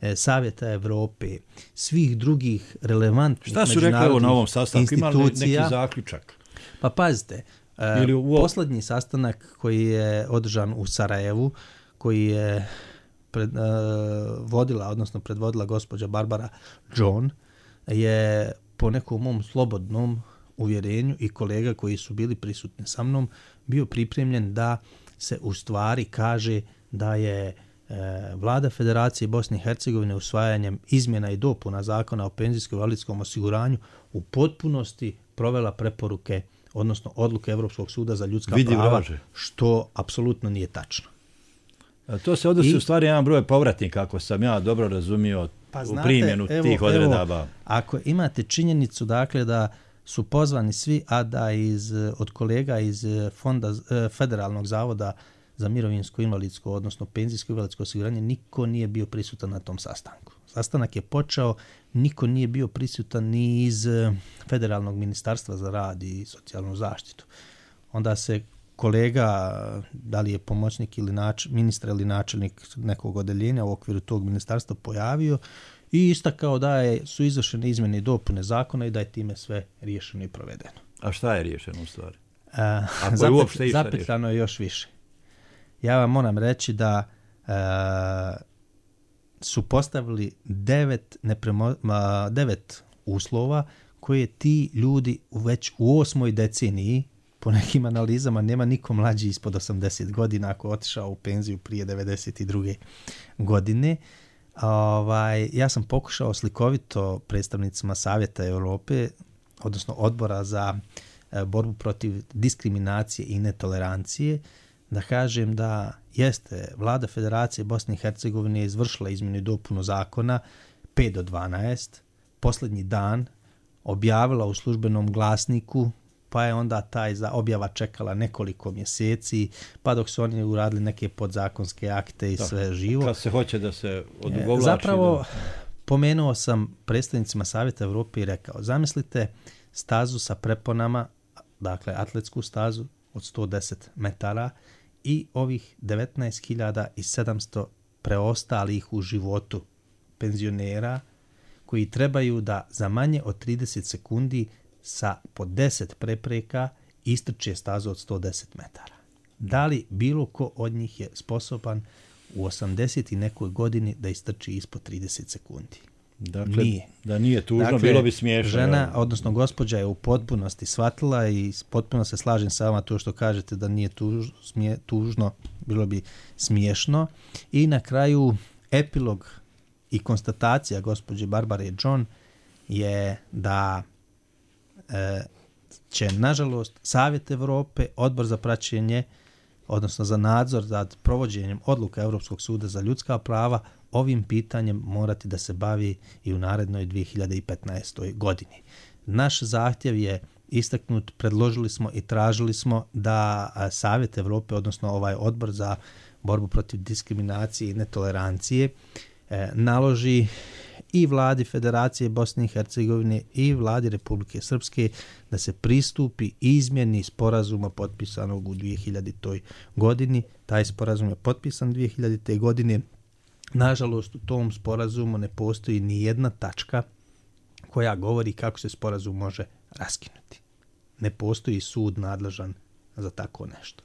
e, Savjeta Evrope, svih drugih relevantnih međunarodnih institucija. Šta su rekli na ovom sastanku? Imali neki zaključak? Pa pazite, e, Ili u... posljednji sastanak koji je održan u Sarajevu, koji je pred, uh, vodila, odnosno predvodila gospođa Barbara John, je po nekom mom slobodnom uvjerenju i kolega koji su bili prisutni sa mnom bio pripremljen da se u stvari kaže da je e, vlada Federacije Bosne i Hercegovine usvajanjem izmjena i dopuna zakona o penzijskom invalidskom osiguranju u potpunosti provela preporuke, odnosno odluke Evropskog suda za ljudska Vidi prava, vraže. Što apsolutno nije tačno. A to se odnosi I, u stvari jedan broj povratnika, ako sam ja dobro razumio pa u znate, primjenu evo, tih odredaba. Evo, ako imate činjenicu, dakle, da su pozvani svi, a da iz, od kolega iz fonda Federalnog zavoda za mirovinsko invalidsko, odnosno penzijsko invalidsko osiguranje, niko nije bio prisutan na tom sastanku. Sastanak je počeo, niko nije bio prisutan ni iz Federalnog ministarstva za rad i socijalnu zaštitu. Onda se kolega, da li je pomoćnik ili nač, ministra ili načelnik nekog odeljenja u okviru tog ministarstva pojavio i istakao da je, su izvršene izmjene i dopune zakona i da je time sve riješeno i provedeno. A šta je riješeno u stvari? A, zapet, zapetljano je još više. Ja vam moram reći da a, su postavili devet, nepremo, a, devet uslova koje ti ljudi već u osmoj deceniji, po nekim analizama, nema niko mlađi ispod osamdeset godina ako otišao u penziju prije devedeset druge godine. Ovaj, ja sam pokušao slikovito predstavnicima Savjeta Europe, odnosno odbora za e, borbu protiv diskriminacije i netolerancije, da kažem da jeste vlada Federacije Bosne i Hercegovine izvršila izmjenu i dopunu zakona pet do dvanaest, posljednji dan objavila u službenom glasniku, pa je onda taj za objava čekala nekoliko mjeseci, pa dok su oni uradili neke podzakonske akte i da, sve živo. Kad se hoće da se odugovlači. Zapravo, da... pomenuo sam predstavnicima Savjeta Evrope i rekao, zamislite stazu sa preponama, dakle atletsku stazu od sto deset metara i ovih devetnaest hiljada sedamsto preostalih u životu penzionera koji trebaju da za manje od trideset sekundi sa po deset prepreka istrče stazu od sto deset metara. Da li bilo ko od njih je sposoban u osamdeset i nekoj godini da istrči ispod trideset sekundi? Dakle, nije. Da nije tužno, dakle, bilo bi smiješno. Žena, odnosno gospođa je u potpunosti shvatila i potpuno se slažem sa vama to što kažete da nije tuž, smije, tužno, bilo bi smiješno. I na kraju epilog i konstatacija gospođe Barbare John je da e, će, nažalost, Savjet Evrope, Odbor za praćenje, odnosno za nadzor nad provođenjem odluka Europskog suda za ljudska prava, ovim pitanjem morati da se bavi i u narednoj dvije hiljade petnaestoj godini. Naš zahtjev je istaknut, predložili smo i tražili smo da Savjet Evrope, odnosno ovaj odbor za borbu protiv diskriminacije i netolerancije, e, naloži i vladi Federacije Bosne i Hercegovine i vladi Republike Srpske da se pristupi izmjeni sporazuma potpisanog u dvije hiljaditoj godini. Taj sporazum je potpisan dvije hiljadite. godine. Nažalost, u tom sporazumu ne postoji ni jedna tačka koja govori kako se sporazum može raskinuti. Ne postoji sud nadležan za tako nešto.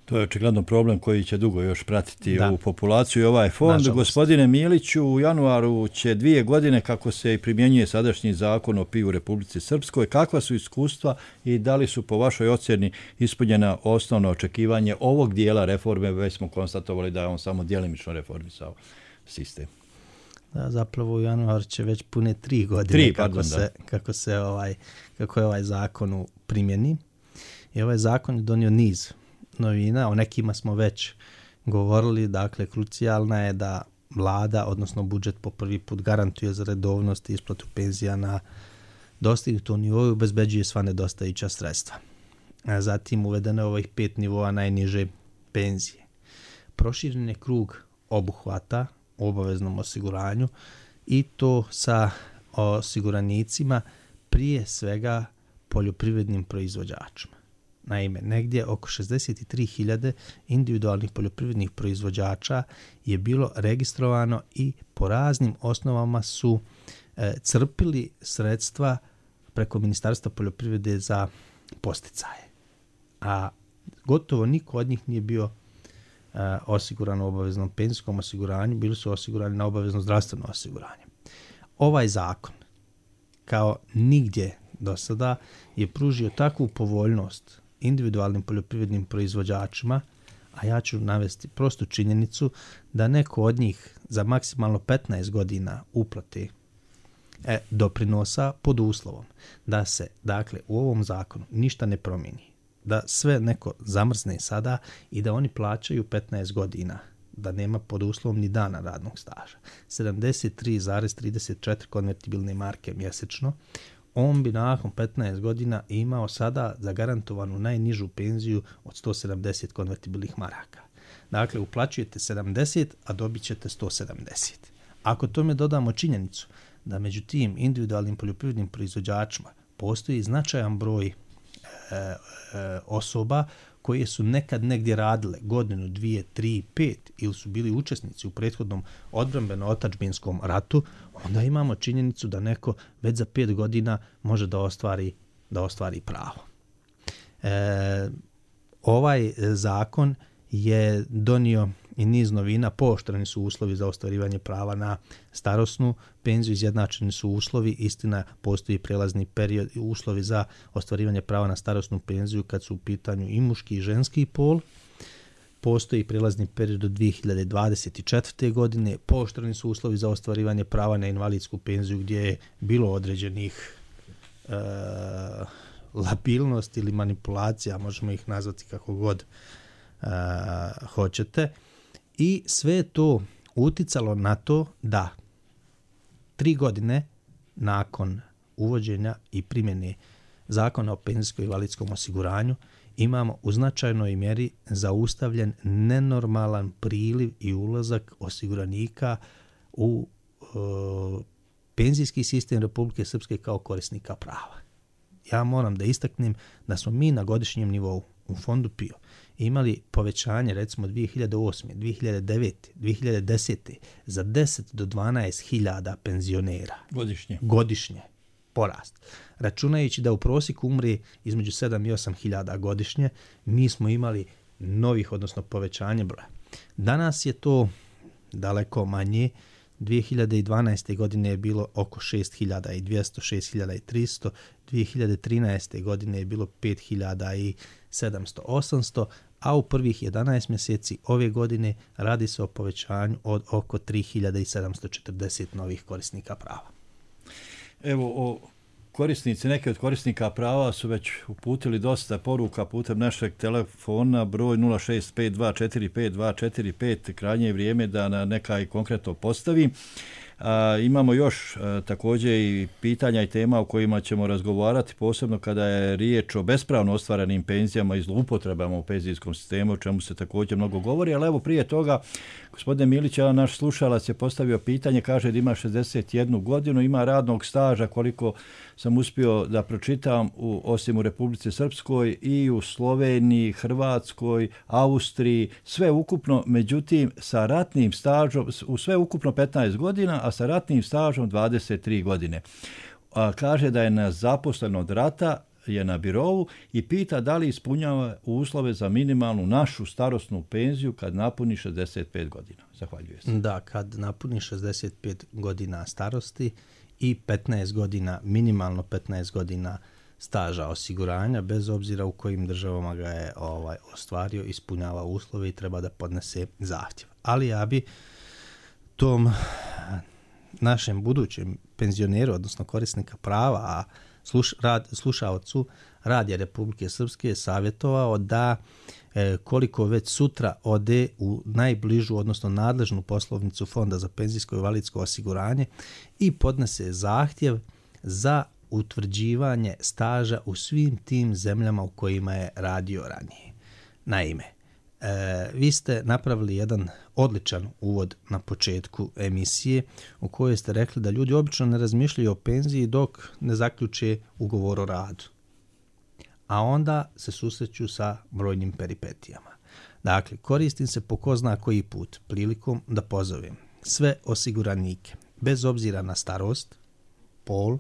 To je očigledno problem koji će dugo još pratiti da. u populaciju i ovaj fond. Nažalost. Gospodine Miliću, u januaru će dvije godine kako se primjenjuje sadašnji zakon o P I U u Republici Srpskoj. Kakva su iskustva i da li su po vašoj ocjeni ispunjena osnovna očekivanje ovog dijela reforme? Već smo konstatovali da je on samo djelimično reformisao sistem. Da, zapravo u januaru će već pune tri godine tri, kako, pardon, se, kako, se ovaj, kako je ovaj zakon u primjeni. I ovaj zakon je donio niz novina, o nekima smo već govorili, dakle krucijalna je da vlada, odnosno budžet po prvi put garantuje za redovnost i isplatu penzija na dostignutom nivou i obezbeđuje sva nedostajuća sredstva. A zatim uvedeno je ovih pet nivoa najniže penzije. Proširen je krug obuhvata u obaveznom osiguranju i to sa osiguranicima, prije svega poljoprivrednim proizvođačima. Naime, negdje oko šezdeset tri hiljade individualnih poljoprivrednih proizvođača je bilo registrovano i po raznim osnovama su e, crpili sredstva preko Ministarstva poljoprivrede za posticaje. A gotovo niko od njih nije bio e, osiguran u obaveznom penzijskom osiguranju, bili su osigurani na obavezno zdravstveno osiguranje. Ovaj zakon, kao nigdje do sada, je pružio takvu povoljnost individualnim poljoprivrednim proizvođačima, a ja ću navesti prostu činjenicu da neko od njih za maksimalno petnaest godina uplate e, doprinosa pod uslovom da se, dakle, u ovom zakonu ništa ne promijeni, da sve neko zamrzne sada i da oni plaćaju petnaest godina, da nema pod uslovom ni dana radnog staža, sedamdeset tri zarez trideset četiri konvertibilne marke mjesečno, on bi nakon petnaest godina imao sada zagarantovanu najnižu penziju od sto sedamdeset konvertibilnih maraka. Dakle, uplaćujete sedamdeset, a dobit ćete sto sedamdeset. Ako tome dodamo činjenicu da među tim individualnim poljoprivrednim proizvođačima postoji značajan broj e, e, osoba koje su nekad negdje radile godinu, dvije, tri, pet ili su bili učesnici u prethodnom odbrambeno-otadžbinskom ratu, onda imamo činjenicu da neko već za pet godina može da ostvari, da ostvari pravo. E, ovaj zakon je donio i niz novina, pooštreni su uslovi za ostvarivanje prava na starosnu penziju, izjednačeni su uslovi, istina postoji prelazni period i uslovi za ostvarivanje prava na starosnu penziju kad su u pitanju i muški i ženski pol. Postoji prelazni period do dvije hiljade dvadeset četvrte. godine, pooštreni su uslovi za ostvarivanje prava na invalidsku penziju gdje je bilo određenih e, labilnosti ili manipulacija, možemo ih nazvati kako god e, hoćete. I sve je to uticalo na to da tri godine nakon uvođenja i primjene Zakona o penzijskom i invalidskom osiguranju imamo u značajnoj mjeri zaustavljen nenormalan priliv i ulazak osiguranika u e, penzijski sistem Republike Srpske kao korisnika prava. Ja moram da istaknem da smo mi na godišnjem nivou u fondu P I O imali povećanje recimo dvije hiljade osme, dvije hiljade devete, dvije hiljade desete za deset do dvanaest hiljada penzionera. Godišnje. Godišnje. Porast. Računajući da u prosjeku umre između sedam i osam hiljada godišnje, mi smo imali novih, odnosno povećanje broja. Danas je to daleko manje. dvije hiljade dvanaeste. godine je bilo oko šest hiljada dvjesto, šest hiljada tristo, dvije hiljade trinaeste. godine je bilo pet hiljada sedamsto, osamsto, a u prvih jedanaest mjeseci ove godine radi se o povećanju od oko tri hiljade sedamsto četrdeset novih korisnika prava. Evo, o korisnici, neke od korisnika prava su već uputili dosta poruka putem našeg telefona, broj nula šest pet dva četiri pet dva četiri pet, krajnje je vrijeme da na neka i konkretno postavi. A, imamo još a, također i pitanja i tema o kojima ćemo razgovarati, posebno kada je riječ o bespravno ostvarenim penzijama i zloupotrebama u penzijskom sistemu, o čemu se također mnogo govori, ali evo prije toga, gospodine Milić, naš slušalac je postavio pitanje, kaže da ima šezdeset jednu godinu, ima radnog staža, koliko sam uspio da pročitam, u, osim u Republici Srpskoj i u Sloveniji, Hrvatskoj, Austriji, sve ukupno, međutim sa ratnim stažom, u sve ukupno petnaest godina, a sa ratnim stažom dvadeset tri godine. A, kaže da je nezaposlen od rata, je na birovu i pita da li ispunjava uslove za minimalnu našu starosnu penziju kad napuni šezdeset pet godina. Zahvaljujem se. Da, kad napuni šezdeset pet godina starosti i petnaest godina, minimalno petnaest godina staža osiguranja, bez obzira u kojim državama ga je ovaj, ostvario, ispunjava uslove i treba da podnese zahtjev. Ali ja bi tom našem budućem penzioneru, odnosno korisnika prava, a sluš, rad, slušaocu Radija Republike Srpske savjetovao da e, koliko već sutra ode u najbližu, odnosno nadležnu poslovnicu Fonda za penzijsko i invalidsko osiguranje i podnese zahtjev za utvrđivanje staža u svim tim zemljama u kojima je radio ranije. Naime, e, vi ste napravili jedan odličan uvod na početku emisije u kojoj ste rekli da ljudi obično ne razmišljaju o penziji dok ne zaključe ugovor o radu. A onda se susreću sa brojnim peripetijama. Dakle, koristim se po ko zna koji put prilikom da pozovem sve osiguranike, bez obzira na starost, pol,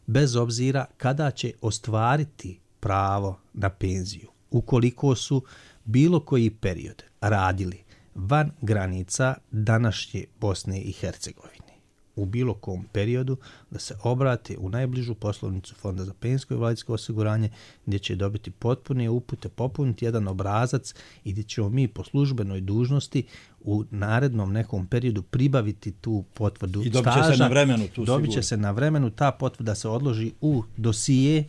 bez obzira kada će ostvariti pravo na penziju, ukoliko su bilo koji period radili van granica današnje Bosne i Hercegovine, u bilo kom periodu, da se obrate u najbližu poslovnicu Fonda za penzijsko i invalidsko osiguranje, gdje će dobiti potpune upute, popuniti jedan obrazac i gdje ćemo mi po službenoj dužnosti u narednom nekom periodu pribaviti tu potvrdu staža. I dobit će staža, se na vremenu. Tu dobit će se na vremenu, ta potvrda se odloži u dosije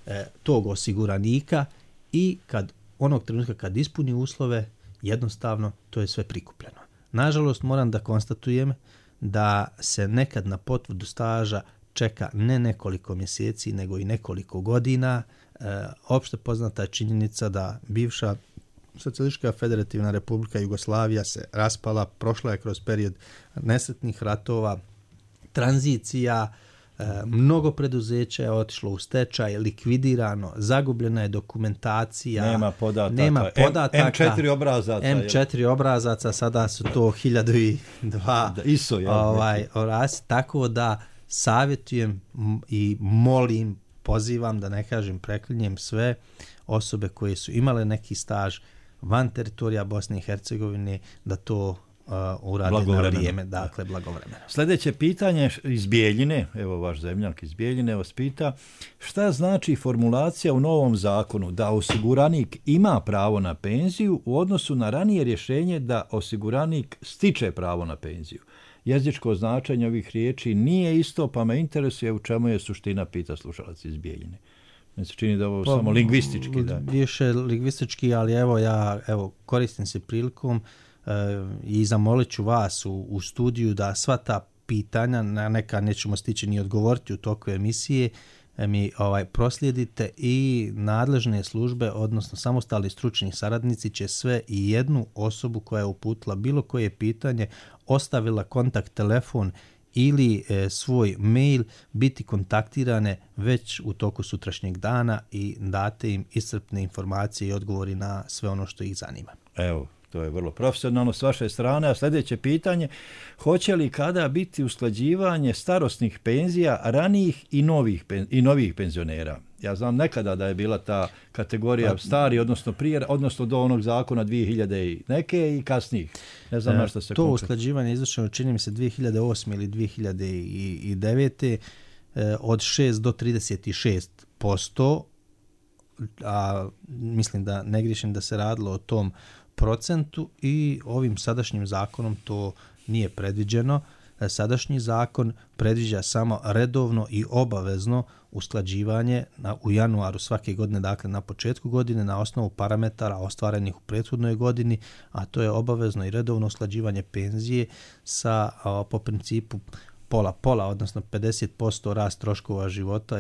e, tog osiguranika i kad onog trenutka kad ispuni uslove, jednostavno to je sve prikupljeno. Nažalost, moram da konstatujem da se nekad na potvrdu staža čeka ne nekoliko mjeseci, nego i nekoliko godina. E, opšte poznata je činjenica da bivša Socijalistička federativna republika Jugoslavija se raspala, prošla je kroz period nesretnih ratova, tranzicija, e, mnogo preduzeća je otišlo u stečaj, likvidirano, zagubljena je dokumentacija, nema podataka, nema podataka M četiri obrazaca, M četiri obrazaca, sada su to hiljadu dva da, iso, ja, ovaj, orasi, tako da savjetujem i molim, pozivam, da ne kažem preklinjem, sve osobe koje su imale neki staž van teritorija Bosne i Hercegovine da to uh, urade na vrijeme, dakle blagovremeno. Sljedeće pitanje iz Bijeljine, evo vaš zemljak iz Bijeljine vas pita, šta znači formulacija u novom zakonu da osiguranik ima pravo na penziju u odnosu na ranije rješenje da osiguranik stiče pravo na penziju? Jezičko značenje ovih riječi nije isto, pa me interesuje u čemu je suština, pita slušalac iz Bijeljine. Mi se čini da ovo pa, samo lingvistički. Da. Više lingvistički, ali evo ja evo, koristim se prilikom e, i zamolit ću vas u, u studiju da sva ta pitanja, na neka nećemo stići ni odgovoriti u toku emisije, e, mi ovaj, proslijedite i nadležne službe, odnosno samostalni stručni saradnici će sve i jednu osobu koja je uputila bilo koje pitanje, ostavila kontakt telefon ili e, svoj mail, biti kontaktirane već u toku sutrašnjeg dana i date im iscrpne informacije i odgovori na sve ono što ih zanima. Evo, to je vrlo profesionalno s vaše strane. A sljedeće pitanje, hoće li kada biti usklađivanje starosnih penzija ranijih i novih, i novih penzionera? Ja znam nekada da je bila ta kategorija stari, odnosno prije, odnosno do onog zakona dvije hiljade i neke i kasnijih. Ne znam na što se to konkretno. Usklađivanje izvršeno čini mi se dvije hiljade osme ili dvije hiljade devete od šest do trideset šest posto, a mislim da ne grišim da se radilo o tom procentu i ovim sadašnjim zakonom to nije predviđeno. Sadašnji zakon predviđa samo redovno i obavezno usklađivanje na, u januaru svake godine, dakle na početku godine, na osnovu parametara ostvarenih u prethodnoj godini, a to je obavezno i redovno usklađivanje penzije sa, a, po principu pola-pola, odnosno pedeset posto rast troškova života,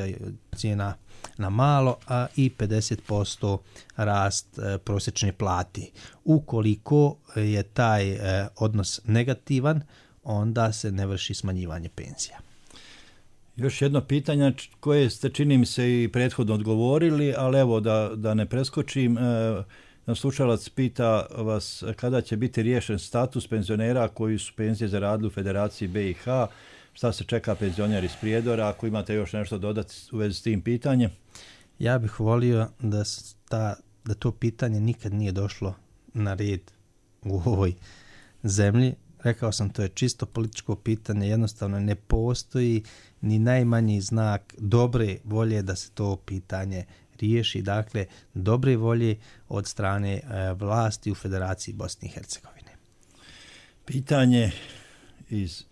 cijena na malo, a i pedeset posto rast e, prosječne plate. Ukoliko je taj e, odnos negativan, onda se ne vrši smanjivanje penzija. Još jedno pitanje koje ste, čini mi se, i prethodno odgovorili, ali evo da, da ne preskočim. E, slušalac pita vas kada će biti riješen status penzionera koji su penzije zaradili u Federaciji B i H. Šta se čeka penzioner iz Prijedora? Ako imate još nešto dodati u vezi s tim pitanjem? Ja bih volio da, ta, da to pitanje nikad nije došlo na red u ovoj zemlji. Rekao sam, to je čisto političko pitanje, jednostavno ne postoji ni najmanji znak dobre volje da se to pitanje riješi. Dakle, dobre volje od strane e, vlasti u Federaciji Bosne i Hercegovine. Pitanje iz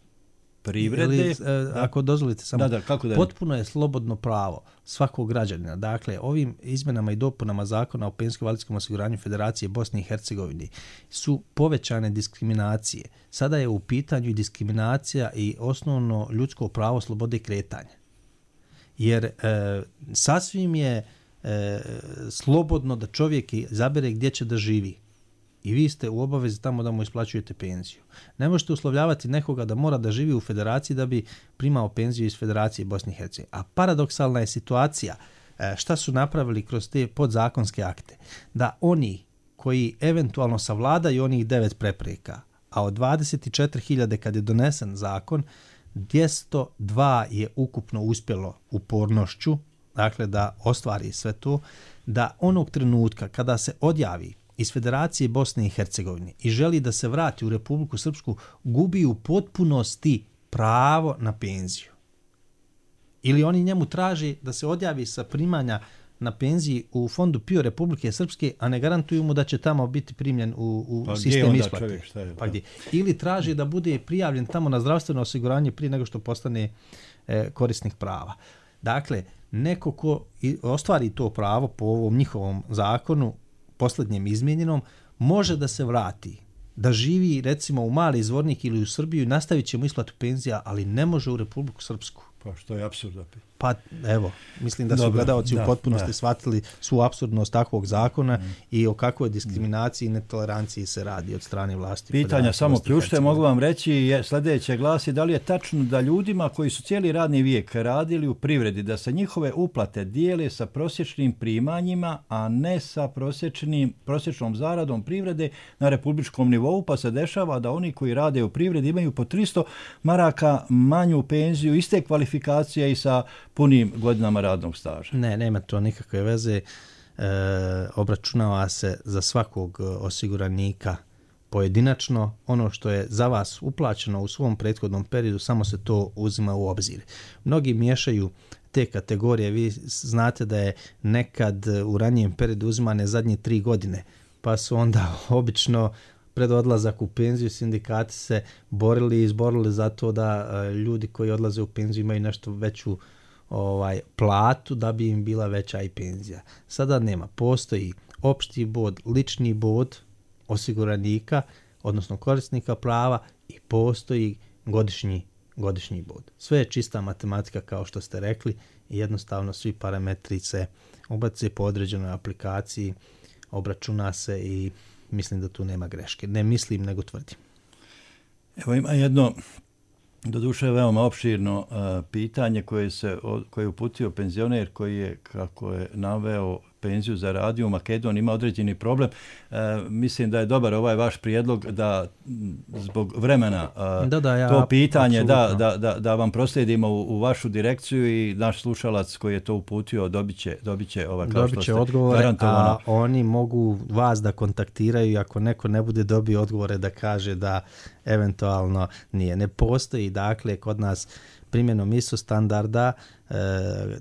privrede. Ili, e, ako dozvolite samo, da, da, kako da potpuno je slobodno pravo svakog građanina. Dakle, ovim izmenama i dopunama zakona o penzijsko-invalidskom osiguranju Federacije Bosne i Hercegovine su povećane diskriminacije. Sada je u pitanju i diskriminacija i osnovno ljudsko pravo slobode kretanja. Jer e, sasvim je e, slobodno da čovjek izabere gdje će da živi. I vi ste u obavezi tamo da mu isplaćujete penziju. Ne možete uslovljavati nekoga da mora da živi u Federaciji da bi primao penziju iz Federacije Bosne i Hercegovine. A paradoksalna je situacija, šta su napravili kroz te podzakonske akte, da oni koji eventualno savladaju onih devet prepreka, a od dvadeset četiri hiljade kad je donesen zakon, dvjesto dva je ukupno uspjelo upornošću, dakle da ostvari sve to, da onog trenutka kada se odjavi iz Federacije Bosne i Hercegovine i želi da se vrati u Republiku Srpsku, gubi u potpunosti pravo na penziju. Ili oni njemu traži da se odjavi sa primanja na penziji u fondu P I O Republike Srpske, a ne garantuju mu da će tamo biti primljen u, u pa sistem isplate. Čovjek, šta je, pa gdje? Ili traži da bude prijavljen tamo na zdravstveno osiguranje prije nego što postane e, korisnik prava. Dakle, neko ko ostvari to pravo po ovom njihovom zakonu, posljednjem izmijenjenom, može da se vrati, da živi recimo u Mali Zvornik ili u Srbiju i nastavit će mu isplatu penzija, ali ne može u Republiku Srpsku. Pa što je apsurd. Pa evo, mislim da su Dobre, gledalci da, u potpunosti da. shvatili svu apsurdnost takvog zakona mm. i o kakvoj diskriminaciji i netoleranciji se radi od strane vlasti. Pitanja samo ključne, mogu vam reći, je, sljedeće glasi, da li je tačno da ljudima koji su cijeli radni vijek radili u privredi, da se njihove uplate dijele sa prosječnim primanjima, a ne sa prosječnim, prosječnom zaradom privrede na republičkom nivou, pa se dešava da oni koji rade u privredi imaju po tristo maraka manju penziju, iste kvalifikacije i sa punim godinama radnog staža. Ne, nema to nikakve veze. E, obračunava se za svakog osiguranika pojedinačno. Ono što je za vas uplaćeno u svom prethodnom periodu, samo se to uzima u obzir. Mnogi miješaju te kategorije. Vi znate da je nekad u ranijem periodu uzimane zadnje tri godine, pa su onda obično pred odlazak u penziju sindikati se borili i izborili za to da uh, ljudi koji odlaze u penziju imaju nešto veću ovaj platu da bi im bila veća i penzija. Sada nema. Postoji opšti bod, lični bod osiguranika, odnosno korisnika prava i postoji godišnji, godišnji bod. Sve je čista matematika kao što ste rekli i jednostavno svi parametri se ubace po određenoj aplikaciji, obračuna se i mislim da tu nema greške. Ne mislim, nego tvrdim. Evo ima jedno, doduše veoma opširno uh, pitanje koje se koje je uputio penzioner koji je, kako je naveo, penziju zaradio u Makedoniji, ima određeni problem. E, mislim da je dobar ovaj vaš prijedlog da zbog vremena a, da, da, ja, to pitanje da, da, da, da vam proslijedimo u, u vašu direkciju i naš slušalac koji je to uputio dobit će, dobit će, ovaj, kao dobit će odgovore, a oni mogu vas da kontaktiraju i ako neko ne bude dobio odgovore da kaže da eventualno nije. Ne postoji dakle kod nas primjenom I S O standarda, e,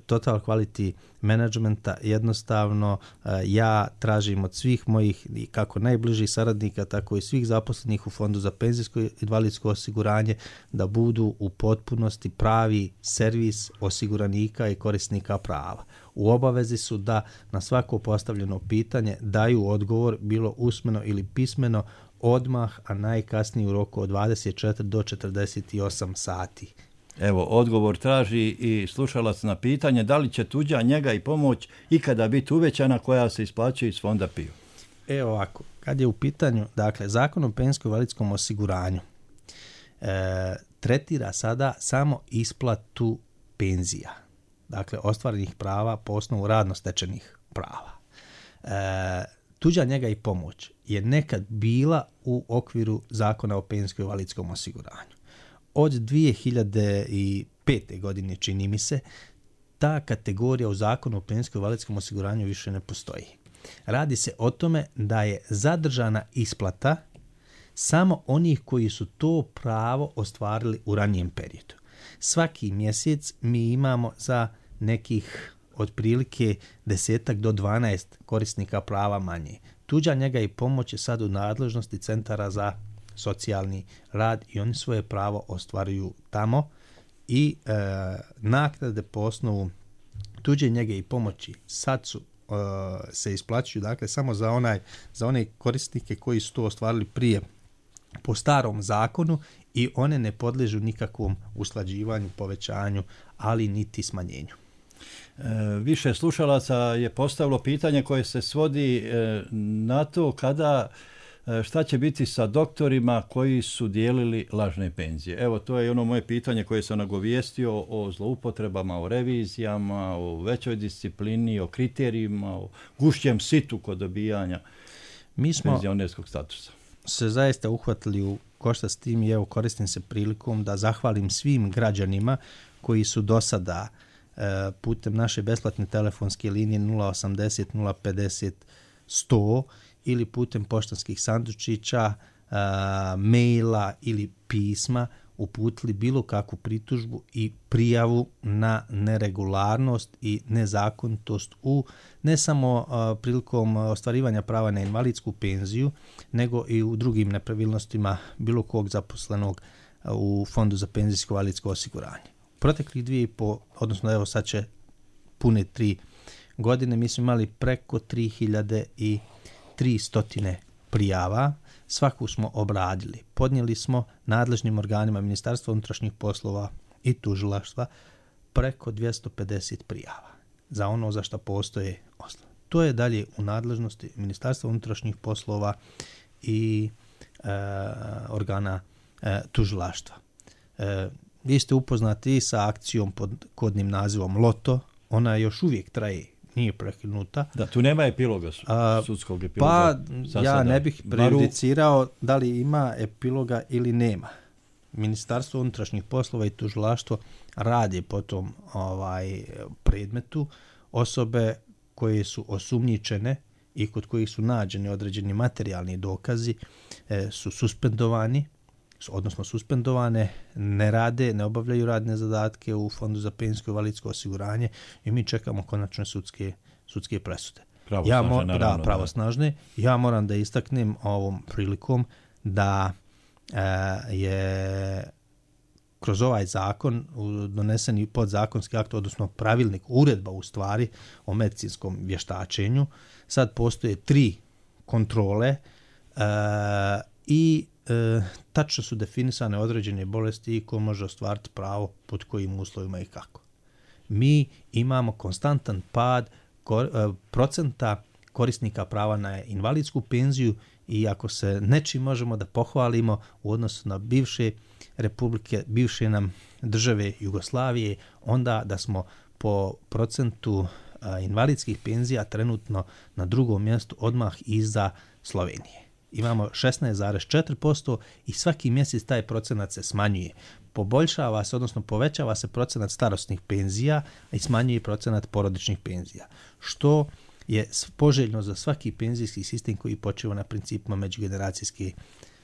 total quality managementa, jednostavno e, ja tražim od svih mojih kako najbližih saradnika, tako i svih zaposlenih u Fondu za penzijsko i invalidsko osiguranje da budu u potpunosti pravi servis osiguranika i korisnika prava. U obavezi su da na svako postavljeno pitanje daju odgovor, bilo usmeno ili pismeno, odmah, a najkasnije u roku od dvadeset četiri do četrdeset osam sati. Evo, odgovor traži i slušalac na pitanje da li će tuđa njega i pomoć ikada biti uvećana koja se isplaćuje iz Fonda P I O. Evo ovako, kad je u pitanju, dakle, Zakon o penzijsko-invalidskom osiguranju e, tretira sada samo isplatu penzija, dakle, ostvarenih prava po osnovu radno stečenih prava. E, tuđa njega i pomoć je nekad bila u okviru Zakona o penzijsko-invalidskom osiguranju. Od dvije hiljade pete. godine, čini mi se, ta kategorija u Zakonu o penzijsko-invalidskom osiguranju više ne postoji. Radi se o tome da je zadržana isplata samo onih koji su to pravo ostvarili u ranijem periodu. Svaki mjesec mi imamo za nekih otprilike desetak do dvanaest korisnika prava manje. Tuđa njega i pomoć je sad u nadležnosti centara za socijalni rad i oni svoje pravo ostvaruju tamo i e, naknade po osnovu tuđe njege i pomoći sad su e, se isplaćuju, dakle, samo za onaj za one korisnike koji su to ostvarili prije po starom zakonu i one ne podliježu nikakvom usklađivanju, povećanju, ali niti smanjenju. E, više slušalaca je postavilo pitanje koje se svodi e, na to kada šta će biti sa doktorima koji su dijelili lažne penzije. Evo, to je ono moje pitanje koje sam nagovijestio o zloupotrebama, o revizijama, o većoj disciplini, o kriterijima, o gušćem situ kod dobijanja Mi smo penzionerskog statusa. Se zaista uhvatili u koštac s tim i evo koristim se prilikom da zahvalim svim građanima koji su do sada e, putem naše besplatne telefonske linije nula osamdeset nula pedeset sto ili putem poštanskih sandučića, a, maila ili pisma uputili bilo kakvu pritužbu i prijavu na neregularnost i nezakonitost u ne samo a, prilikom ostvarivanja prava na invalidsku penziju, nego i u drugim nepravilnostima bilo kog zaposlenog a, u Fondu za penzijsko invalidsko osiguranje. Proteklih dvije i po, odnosno evo sad će pune tri godine, mi smo imali preko tri hiljade i tristo prijava, svaku smo obradili. Podnijeli smo nadležnim organima Ministarstva unutrašnjih poslova i tužilaštva preko dvjesto pedeset prijava za ono za što postoje osnove. To je dalje u nadležnosti Ministarstva unutrašnjih poslova i e, organa e, tužilaštva. E, vi ste upoznati sa akcijom pod kodnim nazivom Loto, ona još uvijek traje, nije prekinuta. Da, tu nema epiloga, sudskog epiloga. Pa ja ne bih prejudicirao da li ima epiloga ili nema. Ministarstvo unutrašnjih poslova i tužilaštvo radi po tom ovaj, predmetu. Osobe koje su osumnjičene i kod kojih su nađeni određeni materijalni dokazi e, su suspendovani, odnosno suspendovane, ne rade, ne obavljaju radne zadatke u Fondu za penzijsko invalidsko osiguranje i mi čekamo konačne sudske, sudske presude. Pravosnažne, ja mo- naravno. Da, pravosnažne. Ja moram da istaknem ovom prilikom da e, je kroz ovaj zakon donesen i podzakonski akt, odnosno pravilnik, uredba u stvari o medicinskom vještačenju. Sad postoje tri kontrole e, i E, tačno su definisane određene bolesti i ko može ostvariti pravo pod kojim uslovima i kako. Mi imamo konstantan pad kor, e, procenta korisnika prava na invalidsku penziju i ako se nečim možemo da pohvalimo u odnosu na bivše republike, bivše nam države Jugoslavije, onda da smo po procentu a, invalidskih penzija trenutno na drugom mjestu odmah iza Slovenije. Imamo šesnaest zarez četiri posto i svaki mjesec taj procenat se smanjuje. Poboljšava se, odnosno povećava se procenat starosnih penzija i smanjuje procenat porodičnih penzija, što je poželjno za svaki penzijski sistem koji počiva na principima međugeneracijske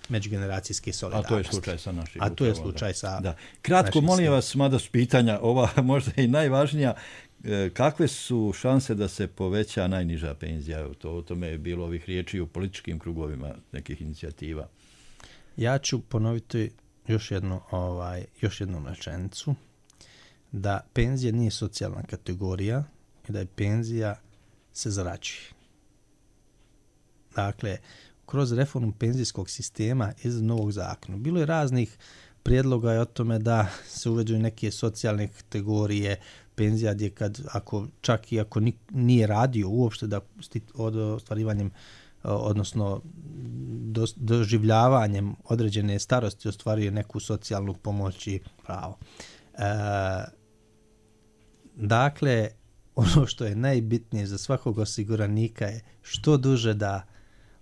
međugeneracijske solidarnosti. A to je slučaj sa našim. A to je slučaj sa da. Kratko, molim vas, mada su pitanja ova možda i najvažnija, kakve su šanse da se poveća najniža penzija? To, o tome je bilo ovih riječi u političkim krugovima nekih inicijativa. Ja ću ponoviti još jednu, ovaj, još jednu rečenicu, da penzija nije socijalna kategorija i da je penzija se zarađuje. Dakle, kroz reformu penzijskog sistema iz novog zakona bilo je raznih prijedloga o tome da se uvedu neke socijalne kategorije penzija gdje kad, ako, čak i ako nije radio uopšte da od ostvarivanjem, odnosno do, doživljavanjem određene starosti ostvaruje neku socijalnu pomoć i pravo. E, dakle, ono što je najbitnije za svakog osiguranika je što duže da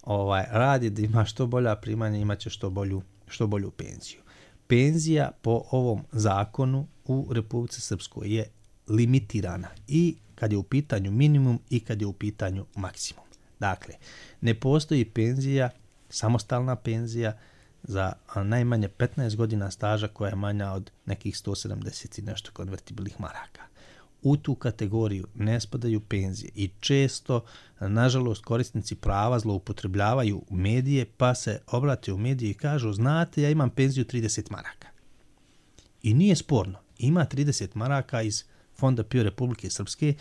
ovaj, radi, da ima što bolja primanja, imat će što bolju, što bolju penziju. Penzija po ovom zakonu u Republici Srpskoj je limitirana i kad je u pitanju minimum i kad je u pitanju maksimum. Dakle, ne postoji penzija, samostalna penzija za najmanje petnaest godina staža koja je manja od nekih sto sedamdeset i nešto konvertibilnih maraka. U tu kategoriju ne spadaju penzije i često, nažalost, korisnici prava zloupotrebljavaju medije pa se obrate u medije i kažu, znate, ja imam penziju trideset maraka. I nije sporno, ima trideset maraka iz Fonda P I O Republike Srpske,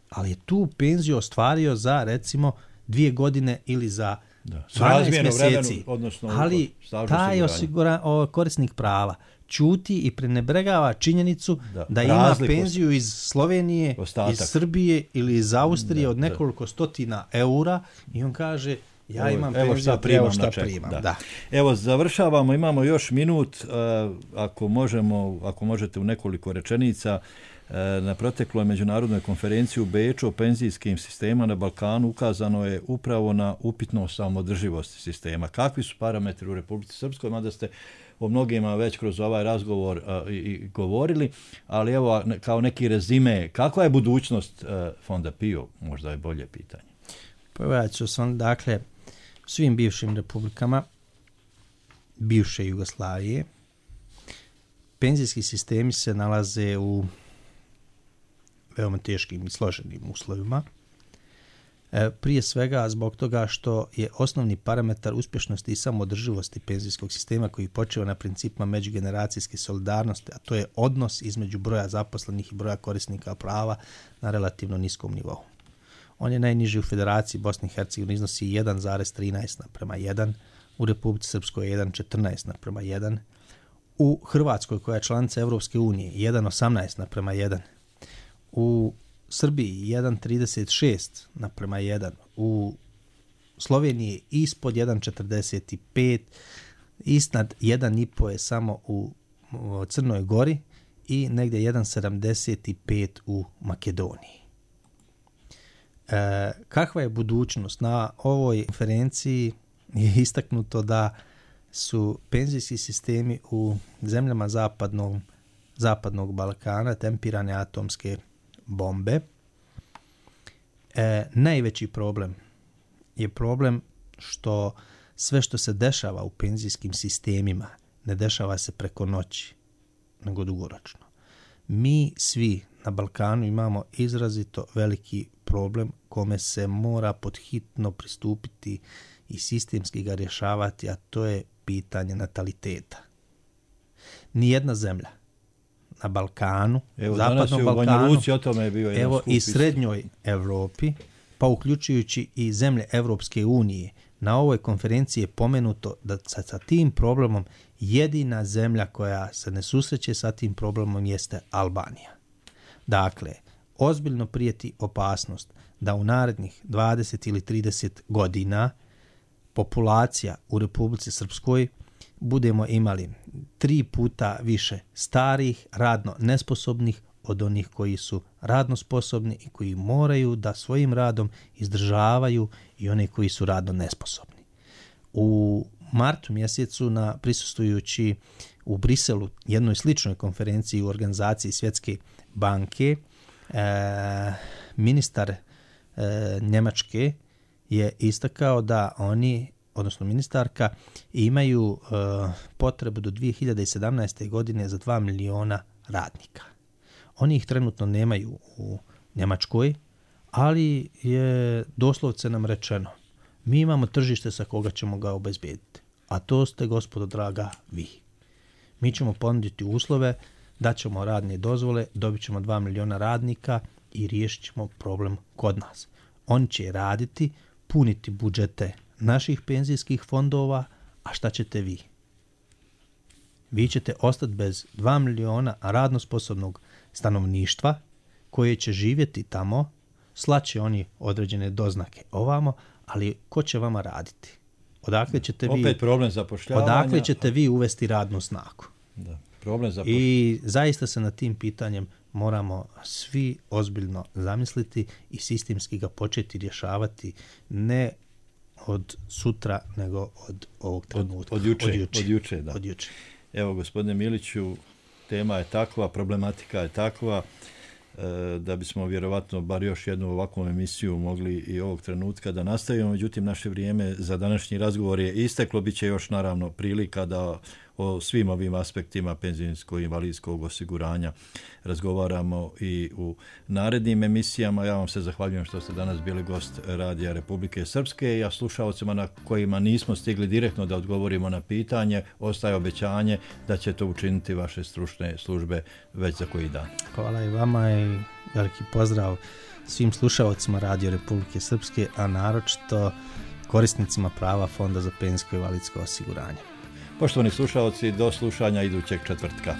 ali je tu penziju ostvario za, recimo, dvije godine ili za da, dvanaest mjeseci. Vremenu, odnosno, ali taj osigura, o, korisnik prava ćuti i prenebregava činjenicu da, da ima penziju iz Slovenije, ostatak. Iz Srbije ili iz Austrije da, od nekoliko da. stotina eura i on kaže, ja evo, imam evo penziju, šta primam. Evo šta primam da. Da. Evo, završavamo, imamo još minut, uh, ako možemo, ako možete u nekoliko rečenica. Na protekloj međunarodnoj konferenciji u Beču o penzijskim sistema na Balkanu ukazano je upravo na upitnost samodrživosti sistema. Kakvi su parametri u Republici Srpskoj, mada ste o mnogima već kroz ovaj razgovor a, i, i govorili, ali evo kao neki rezime, kakva je budućnost a, Fonda P I O, možda je bolje pitanje. Pa ja ću sam, dakle, svim bivšim republikama, bivše Jugoslavije, penzijski sistemi se nalaze u veoma teškim i složenim uslovima. E, prije svega zbog toga što je osnovni parametar uspješnosti i samodrživosti penzijskog sistema koji počeva na principima međugeneracijske solidarnosti, a to je odnos između broja zaposlenih i broja korisnika prava na relativno niskom nivou. On je najniži u Federaciji Bosne i Hercegovine, iznosi jedan zarez trinaest naprema jedan, u Republici Srpskoj je jedan zarez četrnaest naprema jedan, u Hrvatskoj koja je članica Evropske unije jedan zarez osamnaest naprema jedan, u Srbiji jedan zarez trideset šest naprema jedan, u Sloveniji ispod jedan zarez četrdeset pet, iznad jedan zarez pet je samo u Crnoj Gori i negdje jedan zarez sedamdeset pet u Makedoniji. E, kakva je budućnost? Na ovoj konferenciji je istaknuto da su penzijski sistemi u zemljama zapadnog, zapadnog Balkana tempirane atomske bombe. E, najveći problem je problem što sve što se dešava u penzijskim sistemima ne dešava se preko noći, nego dugoročno. Mi svi na Balkanu imamo izrazito veliki problem kome se mora podhitno pristupiti i sistemski ga rješavati, a to je pitanje nataliteta. Nijedna zemlja na Balkanu, evo, zapadnom Balkanu, Luci, o tome je bio evo i srednjoj Evropi, pa uključujući i zemlje Evropske unije, na ovoj konferenciji je pomenuto da sa, sa tim problemom jedina zemlja koja se ne susreće sa tim problemom jeste Albanija. Dakle, ozbiljno prijeti opasnost da u narednih dvadeset ili trideset godina populacija u Republici Srpskoj budemo imali tri puta više starih, radno nesposobnih od onih koji su radno sposobni i koji moraju da svojim radom izdržavaju i one koji su radno nesposobni. U martu mjesecu, na prisustvujući u Briselu jednoj sličnoj konferenciji u organizaciji Svjetske banke, e, ministar e, Njemačke je istakao da oni odnosno ministarka, imaju uh, potrebu do dvije hiljade sedamnaeste. godine za dva miliona radnika. Oni ih trenutno nemaju u Njemačkoj, ali je doslovce nam rečeno, mi imamo tržište sa koga ćemo ga obezbijediti, a to ste, gospodo draga, vi. Mi ćemo ponuditi uslove, daćemo radne dozvole, dobit ćemo dva miliona radnika i riješit ćemo problem kod nas. Oni će raditi, puniti budžete naših penzijskih fondova, a šta ćete vi? Vi ćete ostati bez dva miliona radno sposobnog stanovništva koje će živjeti tamo, slaće oni određene doznake ovamo, ali ko će vama raditi? Odakle ćete vi, opet problem zapošljavanja. Odakle ćete vi uvesti radnu snagu? Da, problem zapošljavanja. I zaista se na tim pitanjem moramo svi ozbiljno zamisliti i sistemski ga početi rješavati, ne od sutra, nego od ovog trenutka. Od, od juče, od juče, od juče, da. Od juče. Evo, gospodine Miliću, tema je takva, problematika je takva, da bismo vjerovatno bar još jednu ovakvu emisiju mogli i ovog trenutka da nastavimo. Međutim, naše vrijeme za današnji razgovor je isteklo. Biće još naravno prilika da o svim ovim aspektima penzijsko-invalidskog osiguranja razgovaramo i u narednim emisijama. Ja vam se zahvaljujem što ste danas bili gost Radija Republike Srpske. Ja slušalcima na kojima nismo stigli direktno da odgovorimo na pitanje, ostaje obećanje da će to učiniti vaše stručne službe već za koji dan. Hvala i vama i veliki pozdrav svim slušalcima Radio Republike Srpske, a naročito korisnicima prava Fonda za penzijsko-invalidsko osiguranje. Poštovani slušalci, do slušanja idućeg četvrtka.